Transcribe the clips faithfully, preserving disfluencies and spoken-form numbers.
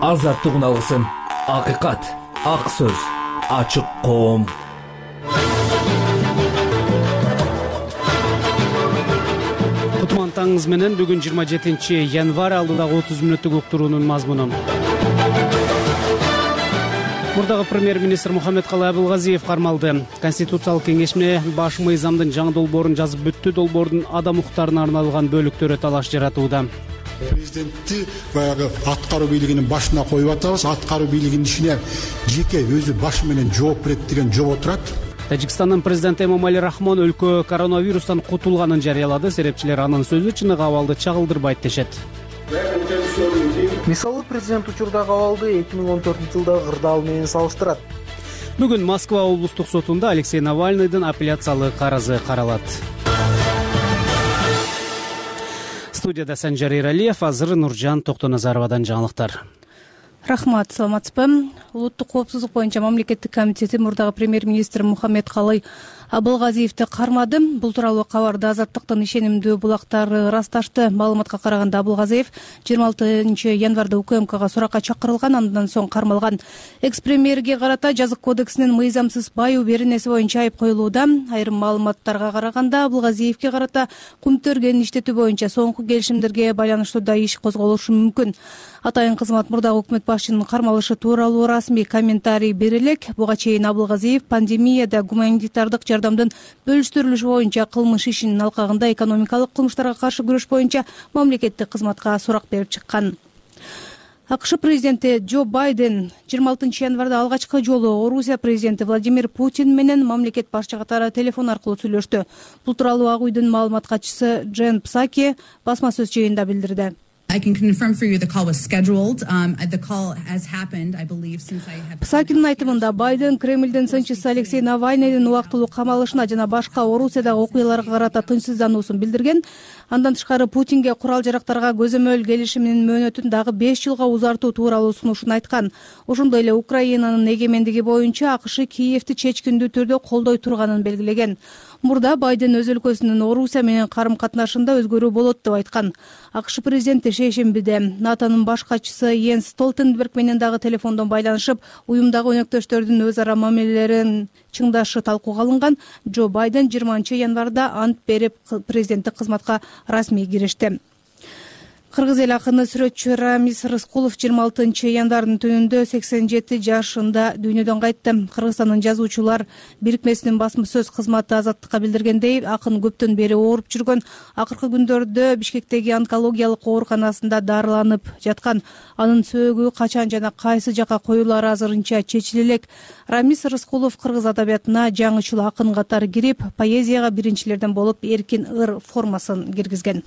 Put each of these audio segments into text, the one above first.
азаттыгын алгысың. Акыйкат, ак сөз, ачык коом. Кутман таңыңыз менен бүгүн жыйырма жетинчи январь, алдыдагы отуз мүнөттүк уктуруунун мазмуну. Мурдагы премьер-министр Мухаммедкалый Абылгазиев кармалды. Конституциялык кеңешме баш мыйзамдын жаңы долбоорун жазып бүттү. Долбоордун адам укуктарына арналган бөлүктөрү талаш жаратууда. Президентти баягы аткаруу бийлигинин башына коюп атабыз. Аткаруу бийлигинин ишине жеке өзү башы менен жооп берет деген жобо турат. Тажикстандын президенти Эмомали Рахмон өлкө коронавирустан кутулганын жарыялады. Серепчилер анын сөзү чыныгы абалды чагылдырбайт дешет. Мисалы, президент учурдагы абалды эки миң он төртүнчү жылдагы кырдаал менен салыштырат. Бүгүн Москва облустук сотунда Алексей Навальныйдын апелляциялык арызы каралат. Студияда Санжар Эралиев, азыр Нуржан Токтоназаровадан жаңылыктар. Рахмат, саламатсызбы. Улуттук коопсуздук боюнча мамлекеттик комитети мурдагы премьер-министр Мухаммедкалый Абылгазиевди кармады. Бул тууралуу кабарды Азаттыктын ишенимдүү булактары ырасташты. Маалыматка караганда Абылгазиев жыйырма алтынчы январда УКМКга суракка чакырылган, андан соң кармалган. Экс-премьерге карата жазык кодексинин мыйзамсыз байуу беренеси боюнча айып коюлууда. Айрым маалыматтарга караганда Абылгазиевге карата кумтөргөн иштетүү боюнча соңку келишимдерге байланыштуу да иш козголушу мүмкүн. Атайын кызмат мурдагы өкмөт башчынын кармалышы тууралуу расмий комментарий бере элек. Буга чейин Абылгазиев пандемияда гуманитардык жардамдын бөлүштүрүлүшү боюнча кылмыш ишинин алкагында экономикалык кылмыштарга каршы күрөш боюнча мамлекеттик кызматка сурак берип чыккан. АКШ президенти Джо Байден жыйырма алтынчы январда алгачкы жолу Орусия президенти Владимир Путин менен мамлекет башчы катары телефон аркылуу сүйлөштү. Бул тууралуу Ак үйдүн маалымат катчысы Джен Псаки басма сөз жыйынында билдирди. Псакинин айтымында Байден Кремлдин сынчысы Алексей Навальныйдын убактылуу камалышына жана башка Орусиядагы окуяларга карата тынчсыздануусун билдирген. Андан тышкары Путинге курал жарактарга көзөмөл келишиминин мөөнөтүн дагы беш жылга узартуу тууралуу сунушун айткан. Ошондой эле Украинанын эгемендиги боюнча АКШ Киевди чечкиндүү түрдө колдой турганын белгилеген. Мурда Байден өз өлкөсүнүн Орусия менен карым катнашында өзгөрүү болот деп айткан. АКШ президенти шейшембиде НАТОнун баш катчысы Йенс Столтенберг менен дагы телефондон байланышып, уюмдагы өнөктөштөрдүн өз ара мамилелерин чыңдашы талкууга алынган. Джо Байден жыйырманчы январда ант берип президенттик кызматка расмий киришти. Кыргыз эл акыны сүрөтчү Рамис Рыскулов жыйырма алтынчы январдын түнүндө сексен жети жашында дүйнөдөн кайтты. Кыргызстандын жазуучулар бирикмесинин басма сөз кызматы Азаттыкка билдиргендей, акын көптөн бери ооруп жүргөн. Акыркы күндөрдө Бишкектеги онкологиялык ооруканасында дарыланып жаткан. Анын сөөгү качан жана кайсы жака коюлары азырынча чечиле элек. Рамис Рыскулов кыргыз адабиятына жаңычыл акын катары кирип, поэзияга биринчилерден болуп эркин ыр формасын киргизген.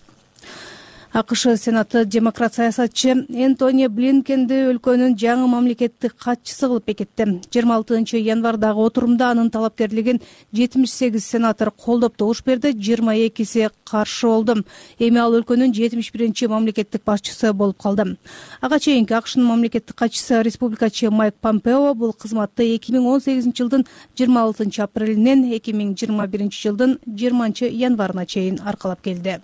АКШ Сенаты демократ саясатчы Энтони Блинкенди өлкөнүн жаңы мамлекеттик катчысы кылып бекитти. жыйырма алтынчы январдагы отурумда анын талапкерлигин жетимиш сегиз сенатор колдоп добуш берди, жыйырма экиси каршы болду. Эми ал өлкөнүн жетимиш биринчи мамлекеттик башчысы болуп калды. Ага чейинки АКШнын мамлекеттик катчысы республикачы Майк Помпео бул кызматты эки миң он сегизинчи жылдын жыйырма алтынчы апрелинен эки миң жыйырма биринчи жылдын жыйырманчы январына чейин аркалап келди.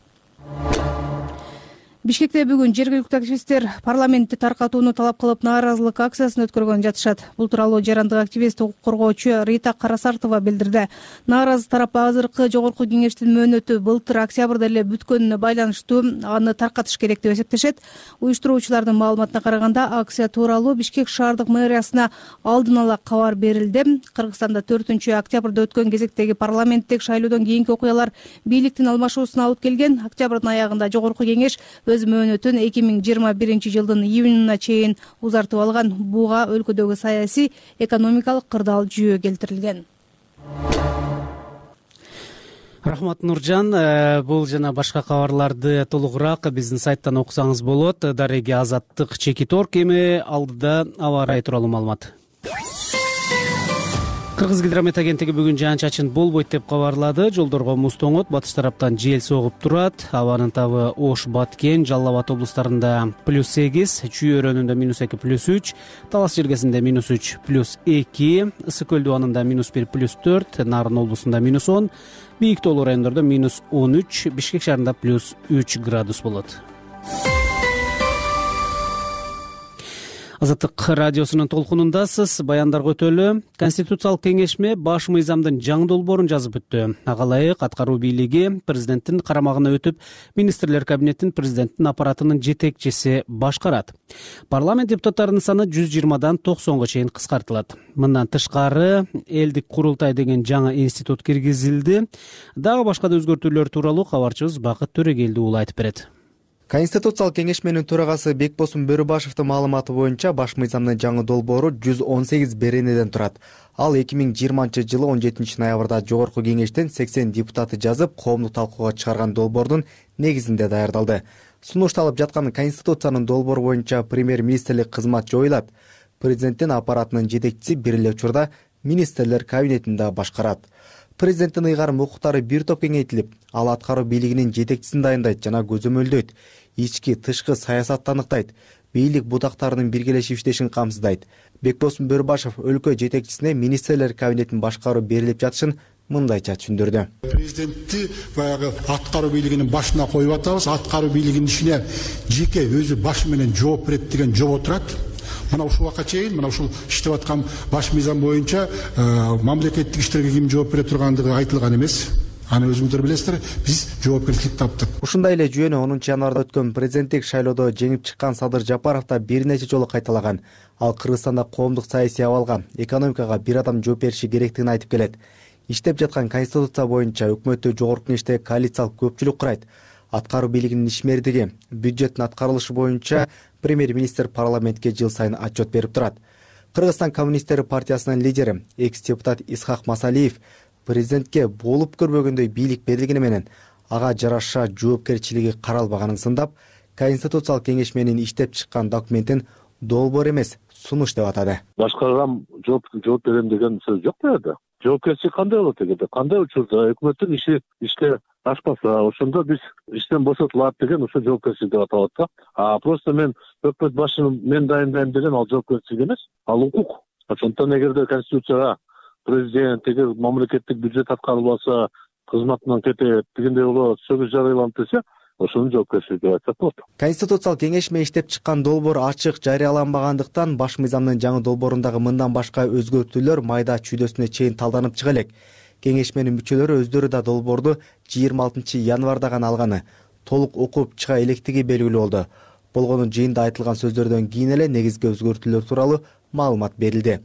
Бишкекте бүгүн жергиликтүү активисттер парламентти таркатууну талап кылып нааразылык акциясын өткөргөн жатышат. Бул тууралуу жарандык активист, укук коргоочу Рита Карасартова билдирди. Нааразы тарап азыркы жогорку кеңештин мөөнөтү былтыр октябрда эле бүткөнүнө байланыштуу аны таркатыш керек деп эсептешет. Уюштуруучулардын маалыматына караганда, акция тууралуу Бишкек шаардык мэриясына алдын ала кабар берилди. Кыргызстанда төртүнчү октябрда өткөн кезектеги парламенттик шайлоодон кийинки окуялар бийликтин алмашуусуна алып келген. Октябрдын аягында жогорку кеңеш өз мөөнөтүн эки миң жыйырма биринчи жылдын июнуна чейин узартып алган. Буга өлкөдөгү саясий, экономикалык кырдаал жүйө келтирилген. Рахмат, Нуржан. Бул жана башка кабарларды толугураак биздин сайттан окусаңыз болот. Дареги Азаттык Чекиторг. Эми алдыда аба ырайы тууралуу маалымат. Кыргыз гидромет агенттиги бүгүн жаан-чачын болбойт деп кабарлады. Жолдорго муз тоңот, батыш тараптан жел согуп турат. Абанын табы Ош, Баткен, Жалал Абад облустарында плюс сегиз, Чүй өрөөнүндө минус эки, плюс үч, Талас жергесинде минус үч, плюс эки, Ысык көл дубанында минус бир, плюс төрт, Нарын облусунда минус он, бийик тоолуу райондордо минус он үч, Бишкек шаарында плюс үч градус болот. Азаттык радиосунун толкунундасыз. Баяндарга өтөлү. Конституциялык кеңешме баш мыйзамдын жаңы долбоорун жазып өттү. Ага ылайык аткаруу бийлиги президенттин карамагына өтүп, министрлер кабинетин президенттин аппаратынын жетекчиси башкарат. Парламент депутаттарынын саны жүз жыйырмадан токсонго чейин кыскартылат. Мындан тышкары элдик курултай деген жаңы институт киргизилди. Дагы башка да өзгөртүүлөр тууралуу кабарчыбыз Бакыт Төрөгелдиұлы айтып берет. Конституциялык кеңешменин төрагасы Бекбосун Бөрүбашевдин маалыматы боюнча баш мыйзамдын жаңы долбоору жүз он сегиз беренеден турат. Ал эки миң жыйырманчы жылы он жетинчи ноябрда жогорку кеңештен сексен депутаты жазып, коомдук талкууга чыгарган долбоордун негизинде даярдалды. Сунушталып жаткан Конституциянын долбоору боюнча премьер-министрлик кызмат жоюлат. Президенттин аппаратынын жетекчиси бир эле учурда министрлер кабинетин да башкарат. Президенттин ыйгарым укуктары бир топ кеңейтилип, ал аткаруу бийлигинин жетекчисин дайындайт жана көзөмөлдөйт. Ички, тышкы саясатты аныктайт. Бийлик будактарынын биргелешип иштешин камсыздайт. Бекбосун Бөрүбашев өлкө жетекчисине министрлер кабинетин башкаруу берилип жатышын мындайча түшүндүрдү. Президентти баягы аткаруу бийлигинин башына коюп атабыз. Аткаруу бийлигинин ишине жеке өзү башы менен жооп берет деген жооп отурат. Мына ушул убакка чейин мына ушул иштеп аткан баш мыйзам боюнча мамлекеттик иштерге ким жооп бере тургандыгы айтылган эмес. Аны өзүңүздөр билесиздер, биз жоопкерчилик таптык. Ушундай эле жүйөнү онунчу январда өткөн президенттик шайлоодо жеңип чыккан Садыр Жапаров да бир нече жолу кайталаган. Ал Кыргызстанда коомдук саясий абалга, экономикага бир адам жооп бериши керектигин айтып келет. Иштеп жаткан конституция боюнча өкмөттү жогорку кеңеште коалициялык көпчүлүк курайт. Аткаруу бийлигинин ишмердиги, бюджеттин аткарылышы боюнча премьер-министр парламентке жыл сайын отчет берип турат. Кыргызстан коммунисттери партиясынын лидери, экс-депутат Исхак Масалиев президентке болуп көрбөгөндөй бийлик берилгени менен ага жараша жоопкерчилиги каралбаганын сындап, Конституциялык кеңешменин иштеп чыккан документин долбоор эмес, сунуш деп атады. Башкарган жооп жооп берем деген сөз жок да. Жоопкерчилик кандай болот эгерде? Кандай учурда өкмөттүн иши иште ашпаса, ошондо биз иштен бошотулат деген ошо жоопкерчилик деп аталат да. А просто мен өкмөт башын мен дайындайм деген ал жоопкерчилик эмес, ал укук. Ошондон эгерде конституцияга президент эгер мамлекеттик бюджет аткарылбаса, кызматынан кетет дегендей болот, сөгүз жарыяланып десе, ошонун жоопкерчилиги деп айтсак болот. Конституциялык кеңешме иштеп чыккан долбоор ачык жарыяланбагандыктан баш мыйзамдын жаңы долбоорундагы мындан башка өзгөртүүлөр майда чүйдөсүнө чейин талданып чыга элек. Кеңешменин мүчөлөрү өздөрү да долбоорду жыйырма алтынчы январда гана алганы, толук окуп чыга электиги белгилүү болду. Болгону жыйында айтылган сөздөрдөн кийин эле негизги өзгөртүүлөр тууралуу маалымат берилди.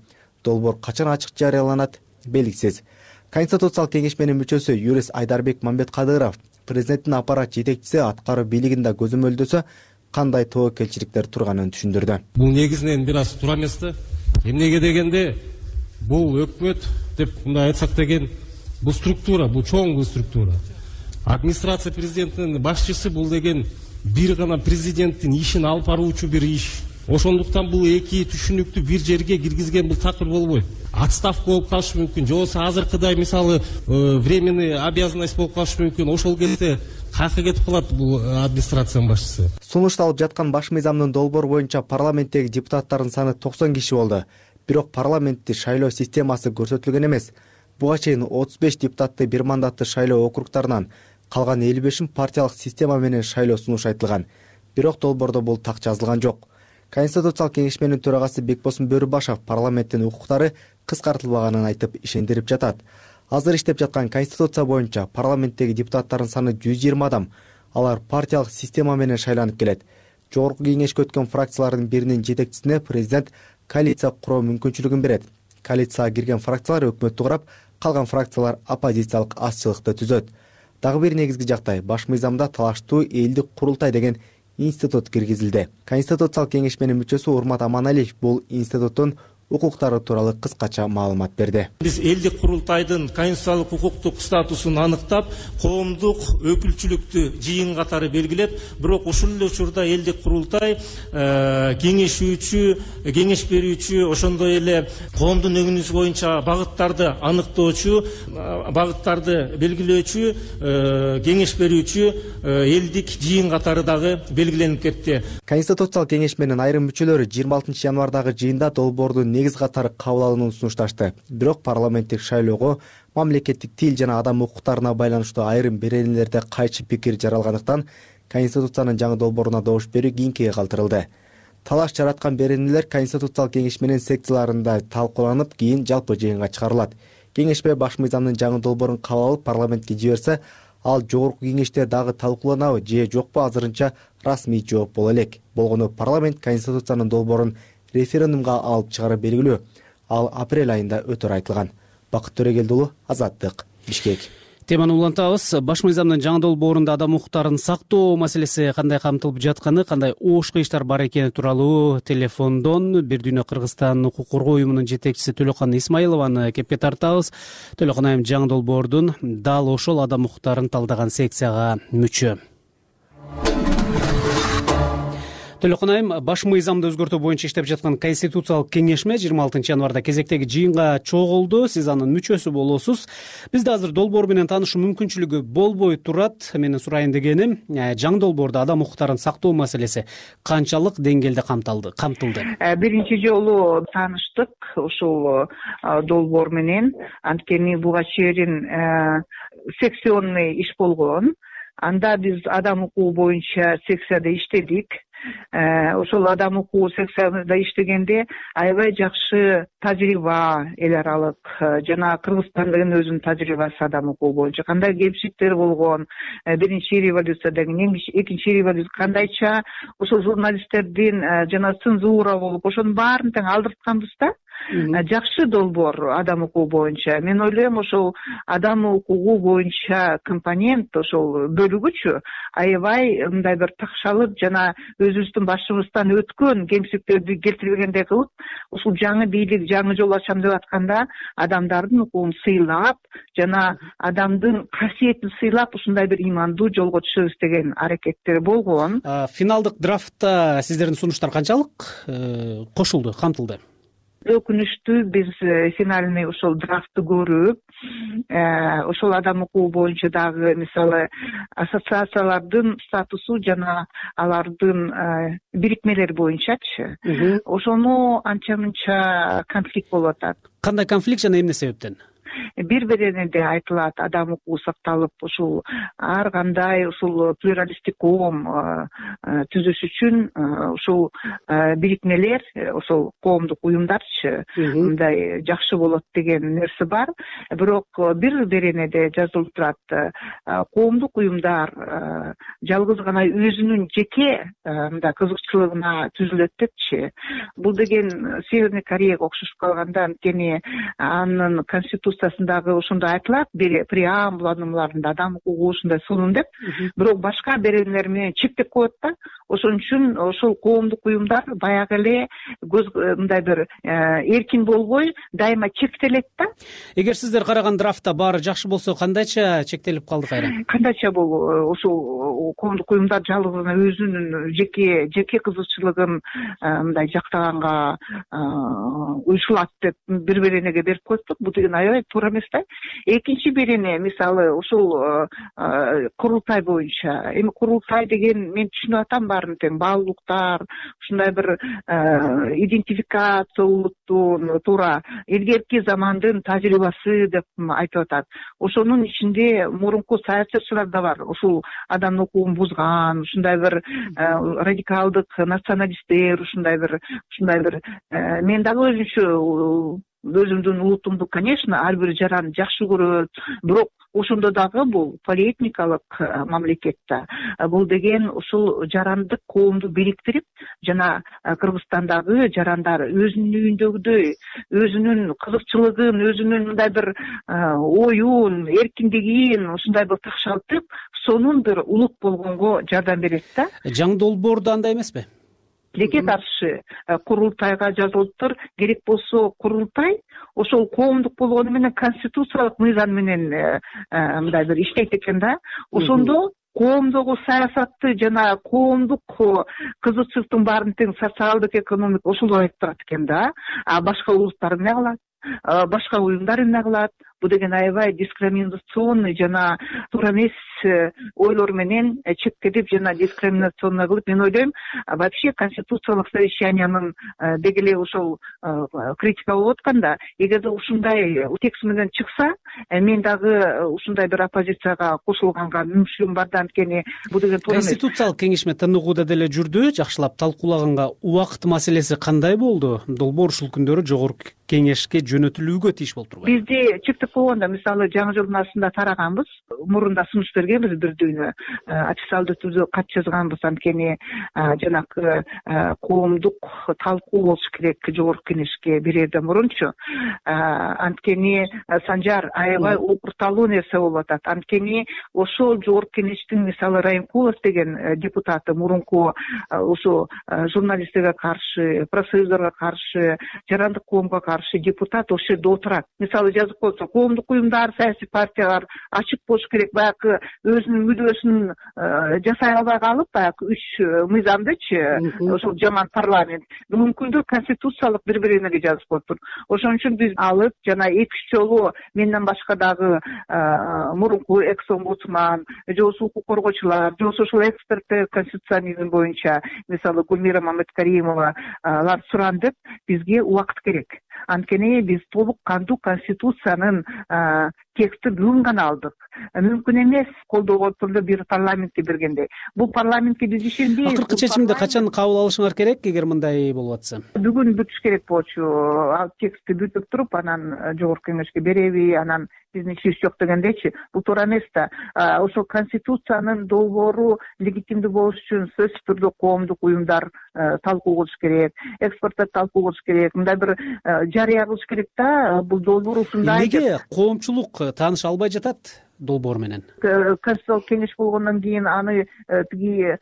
Долбоор качан ачык жарыяланат белгисиз. Конституциялык кеңешменин мүчөсү юрист Айдарбек Мамбеткадыров президенттин аппарат жетекчиси аткаруу бийлигин да көзөмөлдөсө, кандай тобокелчиликтер турганын түшүндүрдү. Бул негизинен бир аз туура эмес да. Эмнеге дегенде бул өкмөт деп мындай айтсак деген бул структура, бул чоң структура. Администрация президентинин башчысы бул деген бир гана президенттин ишин алып баруучу бир иш. Ошондуктан бул эки түшүнүктү бир жерге киргизген бул такыр болбойт. Отставка болуп калышы мүмкүн, же болбосо азыркыдай мисалы временный обязанность болуп калышы мүмкүн. Ошол кезде каяка кетип калат бул администрациянын башчысы. Сунушталып жаткан баш мыйзамдын долбоору боюнча парламенттеги депутаттардын саны токсон киши болду. Бирок парламентти шайлоо системасы көрсөтүлгөн эмес. Буга чейин отуз беш депутатты бир мандатты шайлоо округтарынан, калган элүү бешин партиялык система менен шайлоо сунуш айтылган. Бирок долбоордо бул так жазылган жок. Конституциялык кеңешменин төрагасы Бекбосун Бөрүбашев парламенттин укуктары кыскартылбаганын айтып ишендирип жатат. Азыр иштеп жаткан конституция боюнча парламенттеги депутаттардын саны жүз жыйырма адам. Алар партиялык система менен шайланып келет. Жогорку кеңешке өткөн фракциялардын биринин жетекчисине президент коалиция куруу мүмкүнчүлүгүн берет. Коалицияга кирген фракциялар өкмөттү курап, калган фракциялар оппозициялык азчылыкты түзөт. Дагы бир негизги жактай баш мыйзамда талаштуу элдик курултай деген институт киргизилди. Конституциялык кеңешменин мүчөсү Урмат Аманалиев бул институттун укуктары тууралуу кыскача маалымат берди. Биз элдик курултайдын конституциялык укуктук статусун аныктап, коомдук өкүлчүлүктү жыйын катары белгилеп, бирок ушул эле учурда элдик курултай кеңешүүчү, кеңеш берүүчү, ошондой эле коомдун өңүнүсү боюнча багыттарды аныктоочу, багыттарды белгилөөчү, кеңеш берүүчү элдик жыйын катары дагы белгиленип кетти. Конституциялык кеңешменин айрым мүчөлөрү жыйырма алтынчы январдагы жыйында долбоордун негиз катары кабыл алынуун сунушташты. Бирок парламенттик шайлоого мамлекеттик тил жана адам укуктарына байланыштуу айрым беренелерде кайчы пикир жаралгандыктан Конституциянын жаңы долбооруна добуш берүү кийинкиге калтырылды. Талаш жараткан беренелер Конституциялык кеңеш менен секцияларында талкууланып, кийин жалпы жыйынга чыгарылат. Кеңешпе баш мыйзамдын жаңы долбоорун кабыл алып парламентке жиберсе, ал жогорку кеңеште дагы талкууланабы же жокпу азырынча расмий жооп боло элек. Болгону парламент Конституциянын долбоорун референдумга алып чыгары белгилүү. Ал апрель айында өтөр айтылган. Бакыт Төрөгелдиулу, Азаттык, Бишкек. Теманы улантабыз. Баш мыйзамдын жаңы долбоорунда адам укуктарын сактоо маселеси кандай камтылып жатканы, кандай оош кыйыштар бар экени тууралуу телефондон Бир Дүйнө Кыргызстан укук коргоо уюмунун жетекчиси Төлөкан Исмаилованы кепке тартабыз. Төлөкан айым, жаңы долбоордун дал ошол адам укуктарын талдаган секцияга мүчө. Төлөкан айым, баш мыйзамды өзгөртүү боюнча иштеп жаткан Конституциялык кеңешме жыйырма алтынчы январда кезектеги жыйынга чогулду. Сиз анын мүчөсү болосуз. Бизде азыр долбоор менен таанышуу мүмкүнчүлүгү болбой турат. Менин сурайын дегеним, жаңы долбоордо адам укуктарын сактоо маселеси канчалык деңгээлде камтылды? камтылды? Биринчи жолу тааныштык ушул долбоор менен. Анткени буга чейин секционный иш болгон. Анда биз адам укугу боюнча секцияда иштедик. Ошол адам укугу секцияда иштегенде аябай жакшы тажрыйба эл аралык жана Кыргызстандын өзүнүн тажрыйбасы адам укугу боюнча кандай кемчиликтер болгон, биринчи революциядан кийин, экинчи революция кандайча ошол журналисттердин жана цензура болуп, ошонун баарын тең алдыртканбыз да. Жакшы долбоор адам укугу боюнча. Мен ойлойм, ошол адам укугу боюнча компонент, ошол бөлүгүчү аябай мындай бир такшалып жана өзүбүздүн башыбыздан өткөн кемчиликтерди келтирбегендей кылып, ушул жаңы бийлик, жаңы жол ачам деп атканда адамдардын укугун сыйлап жана адамдын касиетин сыйлап ушундай бир имандуу жолго түшөбүз деген аракеттер болгон. Финалдык драфтта сиздердин сунуштар канчалык кошулду, камтылды? Өкүнүчтүү, биз финальный ошол драфтты көрүп, ошол адам укугу боюнча дагы мисалы ассоциациялардын статусу жана алардын бирикмелери боюнчачы, ошону анча мынча конфликт болуп атат. Кандай конфликт жана эмне себептен? Бир бирине айтылат, адам укугу сакталып, ушул ар кандай ушул плюралисттик коом түзүш үчүн ушул бирикмелер, ошол коомдук уюмдарчы мындай жакшы болот деген нерсе бар. Бирок бир беренеде жазылып турат, коомдук уюмдар жалгыз гана өзүнүн жеке мындай кызыкчылыгына түзүлөт депчи. Бул деген Северный Кореяга окшошуп калганда, анткени анын конституциясындагы ошондой айтылат, преамбулаларында адам укугу ушундай сонун деп, бирок башка беренелер менен чектеп коет да. Ошон үчүн ошол коомдук уюмдар баягы эле мындай бир эркин болбой, дайыма чектелет да. Эгер сиздер караган драфтта баары жакшы болсо, кандайча чектелип калды кайра? Кандайча бул ошол коомдук уюмдар жалгыз гана өзүнүн жеке жеке кызыкчылыгын мындай жактаганга уюшулат деп бир беренеге берип коюптук. Бул деген аябай туура эмес да. Экинчи берене мисалы ушул курултай боюнча. Эми курултай деген мен түшүнүп атам баарын тең, баалуулуктар, ушундай бир идентификация улуттун туура илгерки замандын тажрыйбасы деп айтып атат. Ошонун ичинде мурунку саясатчылар да бар. Ушул адам укугун бузган, ушундай бир радикалдык националисттер, ушундай бир ушундай бир мен дагы өзүнчө өзүмдүн улутумду, конечно, ар бир жаран жакшы көрөт, бирок ошондо дагы бул полиэтникалык мамлекет да. Бул деген ушул жарандык коомду бириктирип жана Кыргызстандагы жарандар өзүнүн үйүндөгүдөй өзүнүн кызыкчылыгын, өзүнүн мындай бир оюн, эркиндигин ушундай бир такшалтып, сонун бир улут болгонго жардам берет да. Жаңы долбоордо андай эмеспи? Тилекке каршы курултайга жазылыптыр. Керек болсо курултай ошол коомдук болгону менен конституциялык мыйзам менен мындай бир иштейт экен да. Ошондо коомдогу саясатты жана коомдук кызыкчылыктын баарын тең социалдык, экономик ошолор айтып турат экен да. А башка улуттар эмне кылат? Башка уюмдар эмне кылат? бул деген аябай дискриминационный жана туура эмес ойлор менен чектелип жана дискриминационный кылып, мен ойлойм, вообще конституциялык совещаниянын деги эле ошол критика болуп атканда, эгерде ушундай текст менен чыкса, мен дагы ушундай бир оппозицияга кошулганга мүмкүнчүлүгүм бар да. Анткени бул деген туура эмес. Конституциялык кеңешме тыныгууда деле жүрдү, жакшылап талкуулаганга убакыт маселеси кандай болду? Долбоор ушул күндөрү жогорку кеңешке жөнөтүлүүгө тийиш болуп турбайбы? Бизде чектеп койгондо, мисалы жаңы жылдын башында тараганбыз, мурунда сунуш бергенбиз, бир дүйнө официалдуу түрдө кат жазганбыз. Анткени жанагы коомдук талкуу болуш керек жогорку кеңешке бирерден мурунчу. Анткени Санжар аябай окурталуу нерсе болуп атат. Анткени ошол жогорку кеңештин мисалы Райымкулов деген депутаты, мурунку ушу журналисттерге каршы, профсоюздорго каршы, жарандык коомго каршы депутат ошол жерде отурат. Мисалы жазып койсо, коомдук уюмдар, саясий партиялар ачык болуш керек. Баягы өзүнүн мүдөөсүн жасай албай калып, баягы үч мыйзамдычы, ошол жаман парламент бүгүнкү күндө конституциялык бири-бирине жазып коюптур. Ошон үчүн биз алып жана эки үч жолу менден башка дагы мурунку экс-омбудсман, же болбосо укук коргоочулар, же болбосо ошол эксперттер конституционизм боюнча, мисалы Гүлмира Маматкаримовалар сурандык, бизге убакыт керек. Анткени биз толук кандуу конституциянын текстин бүгүн гана алдык. Мүмкүн эмес колдоого түрдө бир парламентке бергенде. Бул парламентке биз ишенбейбиз. Акыркы чечимди качан кабыл алышыңар керек, эгер мындай болуп атса? Бүгүн бүтүш керек болчу. Ал текстти бүтүп туруп, анан жогорку кеңешке береби, анан биздин ишибиз жок дегендечи. Бул туура эмес да. Ошол конституциянын долбоору легитимдүү болуш үчүн сөзсүз түрдө коомдук уюмдар талкуу кылыш керек, эксперттер талкуу кылыш керек, мындай бир жарыя кылыш керек да. Бул долбоор ушундай. Эмнеге коомчулук тааныша албай жатат долбоор менен? Конституциялык кеңеш болгондон кийин аны тиги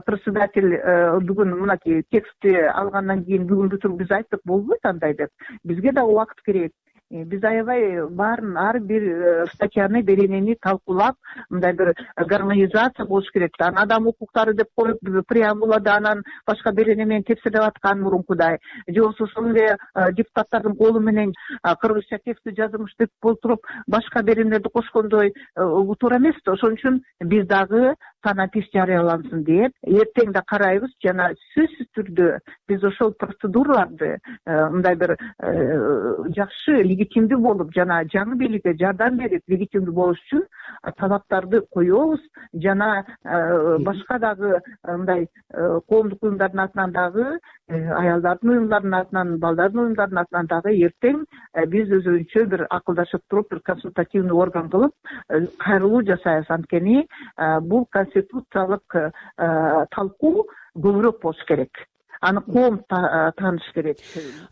председатель бүгүн мынакей текстти алгандан кийин бүгүн бүтүрүп биз айттык, болбойт андай деп. Бизге да убакыт керек. Биз аябай баарын ар бир статьяны, беренени талкуулап, мындай бир гармонизация болуш керек да. Адам укуктары деп коюп, преамбулада анан башка берене менен тепселеп аткан мурункудай. Же болбосо ошол эле депутаттардын колу менен кыргызча текстти жазылмыш деп болтуруп, башка беренелерди кошкондой туура эмес да. Ошон үчүн биз дагы санатиш жарыялансын деп эртең да карайбыз. Жана сөзсүз түрдө биз ошол процедураларды мындай бир жакшы легитимдүү болуп, жана жаңы бийликке жардам берип легитимдүү болуш үчүн талаптарды коебуз. Жана башка дагы мындай коомдук уюмдардын атынан дагы, аялдардын уюмдарынын атынан, балдардын уюмдарынын атынан дагы эртең биз өзүбүзчө бир акылдашып туруп, бир консультативный орган кылып кайрылуу жасайбыз. Анткени бул конституциялык талкуу көбүрөөк болуш керек. Аны коом тааныш керек.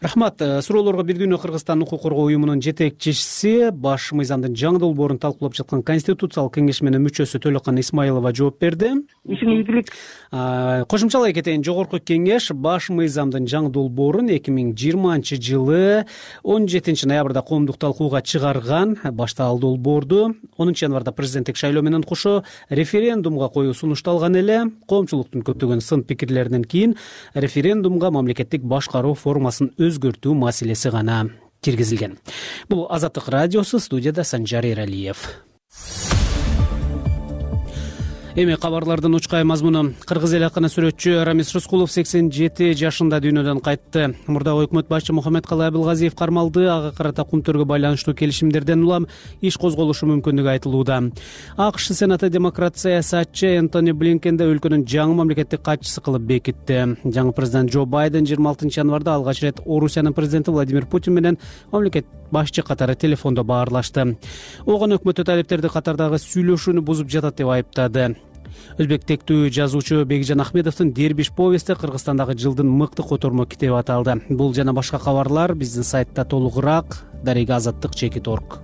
Рахмат. Суроолорго бир дүйнө Кыргызстан укук коргоо уюмунун жетекчиси, баш мыйзамдын жаңы долбоорун талкуулап жаткан Конституциялык кеңешменин мүчөсү Төлөкан Исмаилова жооп берди. Ишиңиз ийгилик. Кошумчалай кетейин, жогорку кеңеш баш мыйзамдын жаңы долбоорун эки миң жыйырманчы жылы он жетинчи ноябрда коомдук талкууга чыгарган. Башта ал долбоорду онунчу январда президенттик шайлоо менен кошо референдумга коюу сунушталган эле. Коомчулуктун көптөгөн сын пикирлеринен кийин референдумга мамлекеттик башкаруу формасын өзгөртүү маселеси гана киргизилген. Бул Азаттык радиосу, студияда Санжар Эралиев. Эми кабарлардын учкай мазмуну. Кыргыз эл акыны сүрөтчү Рамис Рыскулов сексен жети жашында дүйнөдөн кайтты. Мурдагы өкмөт башчы Мухаммедкалый Абылгазиев кармалды. Ага карата кумтөргө байланыштуу келишимдерден улам иш козголушу мүмкүндүгү айтылууда. АКШ Сенаты демократ саясатчы Энтони Блинкенди өлкөнүн жаңы мамлекеттик катчысы кылып бекитти. Жаңы президент Джо Байден жыйырма алтынчы январда алгач ирет Орусиянын президенти Владимир Путин менен мамлекет башчы катары телефондо баарлашты. Огон өкмөттү талептерди катардагы сүйлөшүүнү бузуп жатат деп айыптады. Өзбек тектүү жазуучу Бекжан Ахмедовдун Дербиш повести Кыргызстандагы жылдын мыкты котормо китеби аталды. Бул жана башка кабарлар биздин сайтта толугураак. Дарега азаттык чекит орг.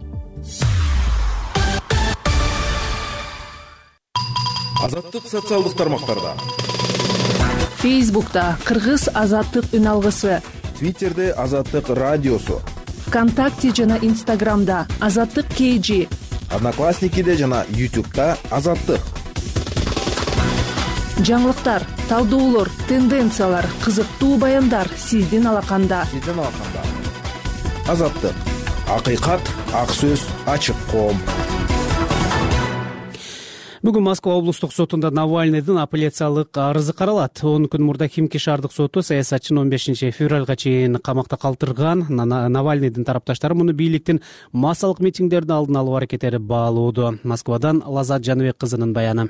Азаттык социалдык тармактарда. Фейсбукта Кыргыз азаттык үн алгысы. Твиттерде Азаттык радиосу. ВКонтакте жана Инстаграмда Азаттык кей жи. Одноклассникиде жана Ютубта Азаттык. Жаңылыктар, талдоолор, тенденциялар, кызыктуу баяндар сиздин алаканда. Сиздин алаканда. Азаттык. акыйкат, ак сөз, ачык коом. Бүгүн Москва облустук сотунда Навальныйдын апелляциялык арызы каралат. он күн мурда Химки шаардык соту саясатчыны он бешинчи февралга чейин камакта калтырган. Навальныйдын тарапташтары муну бийликтин массалык митингдерди алдын алуу аракеттери баалоодо. Москвадан Лазат Жаныбек кызынын баяны.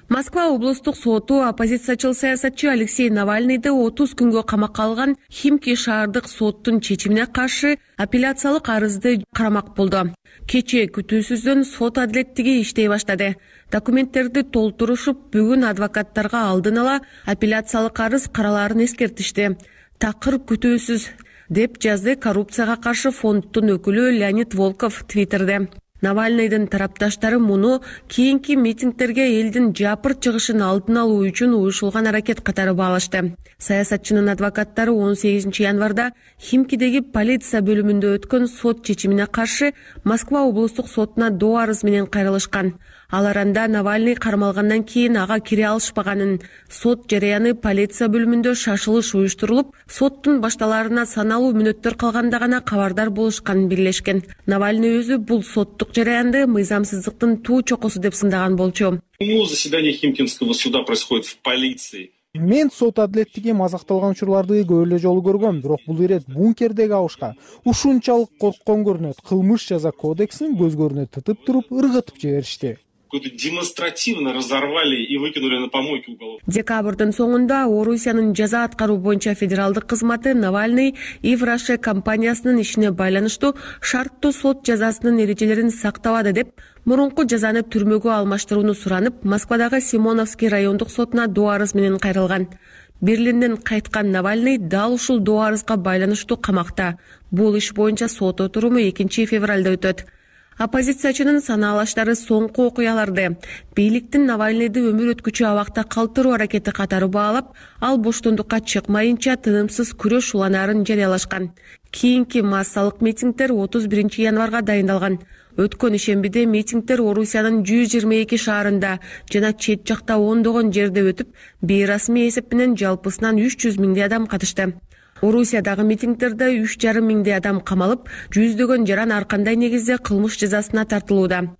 Москва облустук соту оппозициячыл саясатчы Алексей Навальныйды отуз күнгө камакка алган Химки шаардык соттун чечимине каршы апелляциялык арызды карамак болду. Кечээ күтүүсүздөн сот адилеттиги иштей баштады. Документтерди толтурушуп, бүгүн адвокаттарга алдын ала апелляциялык арыз каралаарын эскертишти. Такыр күтүүсүз, деп жазды коррупцияга каршы фонддун өкүлү Леонид Волков Твиттерде. Навальныйдын тарапташтары муну кийинки митингтерге элдин жапырт чыгышын алдын алуу үчүн уюшулган аракет катары баалашты. Саясатчынын адвокаттары он сегизинчи январда Химкидеги полиция бөлүмүндө өткөн сот чечимине каршы Москва облустук сотуна доо арыз менен кайрылышкан. Алар анда Навальный кармалгандан кийин ага кире алышпаганын, сот жарыяны полиция бөлүмүндө шашылыш уюштурулуп, соттун башталарына саналуу мүнөттөр калганда гана кабардар болушканын белгилешкен. Навальный өзү бул соттук жараянды мыйзамсыздыктын туу чокусу деп сындаган болчу. Заседание Химкинского суда происходит в полиции. Мен сот адилеттиги мазакталган учурларды көп эле жолу көргөм, бирок бул ирет бункердеги абышка ушунчалык корккон көрүнөт. Кылмыш жаза кодексин көзгөрүнө тытып туруп ыргытып жиберишти. Демонстративно разорвали и выкинули на помойку уголовку. Декабрдын соңунда Орусиянын жаза аткаруу боюнча федералдык кызматы Навальный Ивраше компаниясынын ишине байланыштуу шарттуу сот жазасынын эрежелерин сактабады деп мурунку жазаны түрмөгө алмаштырууну суранып, Москвадагы Симоновский райондук сотуна доо арыз менен кайрылган. Берлинден кайткан Навальный дал ушул доо арызга байланыштуу камакта. Бул иш боюнча сот отуруму экинчи февралда өтөт. Оппозициячынын санаалаштары соңку окуяларды бийликтин Навальныйды өмүр өткүчү абакта калтыруу аракети катары баалап, ал боштондукка чыкмайынча тынымсыз күрөш уланаарын жарыялашкан. Кийинки массалык митингдер отуз биринчи январга дайындалган. Өткөн ишембиде митингдер Орусиянын жүз жыйырма эки шаарында жана чет жакта ондогон жерде өтүп, бейрасмий эсеп менен жалпысынан үч жүз миңдей адам катышты. Орусиядагы митингдерде үч жарым миңдей адам камалып, жүздөгөн жаран ар кандай негизде кылмыш жазасына тартылууда.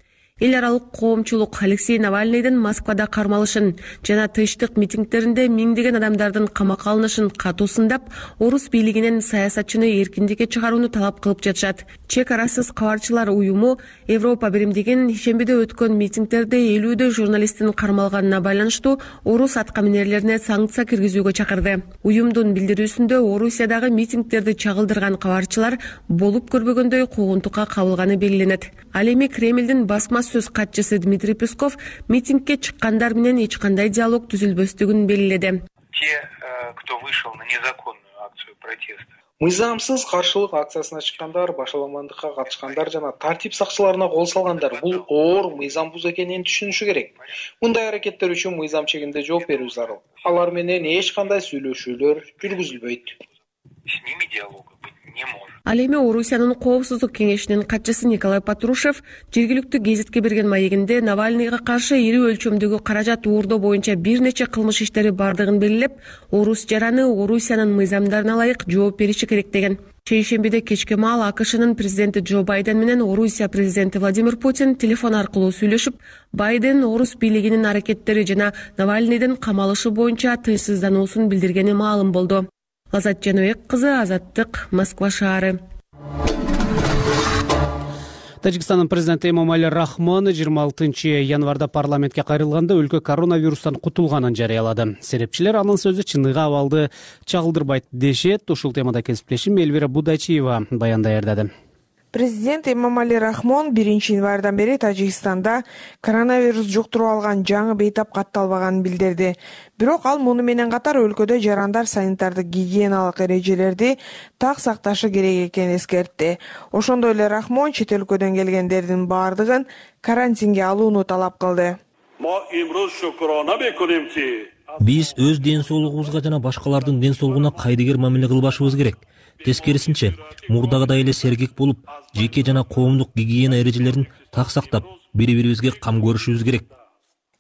Эл аралык коомчулук Алексей Навальныйдын Москвада кармалышын жана тынчтык митингдеринде миңдеген адамдардын камакка алынышын катуу сындап, орус бийлигинен саясатчыны эркиндикке чыгарууну талап кылып жатышат. Чек арасыз кабарчылар уюму Европа биримдигинин ишембиде өткөн митингдерде элүүдө журналисттин кармалганына байланыштуу орус аткаминерлерине санкция киргизүүгө чакырды. Уюмдун билдирүүсүндө Орусиядагы митингдерди чагылдырган кабарчылар болуп көрбөгөндөй куугунтукка кабылганы белгиленет. Ал эми Кремлдин басма сөз катчысы Дмитрий Песков митингке чыккандар менен эч кандай диалог түзүлбөстүгүн белгиледи. Те, кто вышел на незаконную акцию протеста. Мыйзамсыз каршылык акциясына чыккандар, башаламандыкка катышкандар жана тартип сакчыларына кол салгандар бул оор мыйзам бузуу экенин түшүнүшү керек. Мындай аракеттер үчүн мыйзам чегинде жооп берүү зарыл. Алар менен эч кандай сүйлөшүүлөр жүргүзүлбөйт. С ними диалога быть не может. Ал эми Орусиянын коопсуздук кеңешинин катчысы Николай Патрушев жергиликтүү гезитке берген маегинде Навальныйга каршы ири өлчөмдөгү каражат уурдоо боюнча бир нече кылмыш иштери бардыгын белгилеп, орус жараны Орусиянын мыйзамдарына ылайык жооп бериши керек деген. Чейшембиде кечке маал АКШнын президенти Джо Байден менен Орусия президенти Владимир Путин телефон аркылуу сүйлөшүп, Байден орус бийлигинин аракеттери жана Навальныйдын камалышы боюнча тынчсыздануусун билдиргени маалым болду. Лазат Жаныбек кызы, Азаттык, Москва шаары. Тажикстандын президенти Эмомали Рахмон жыйырма алтынчы январда парламентке кайрылганда өлкө коронавирустан кутулганын жарыялады. Серепчилер анын сөзү чыныгы абалды чагылдырбайт дешет. Ушул темада кесиптешим Эльвира Будачиева баян даярдады. Президент Эмомали Рахмон биринчи январдан бери Тажикстанда коронавирус жуктуруп алган жаңы бейтап катталбаганын билдирди. Бирок ал муну менен катар өлкөдө жарандар санитардык гигиеналык эрежелерди так сакташы керек экенин эскертти. Ошондой эле Рахмон чет өлкөдөн келгендердин баардыгын карантинге алууну талап кылды. Биз өз ден соолугубузга жана башкалардын ден соолугуна кайдыгер мамиле кылбашыбыз керек. Тескерисинче, мурдагыдай эле сергек болуп, жеке жана коомдук гигиена эрежелерин так сактап, бири-бирибизге кам көрүшүбүз керек.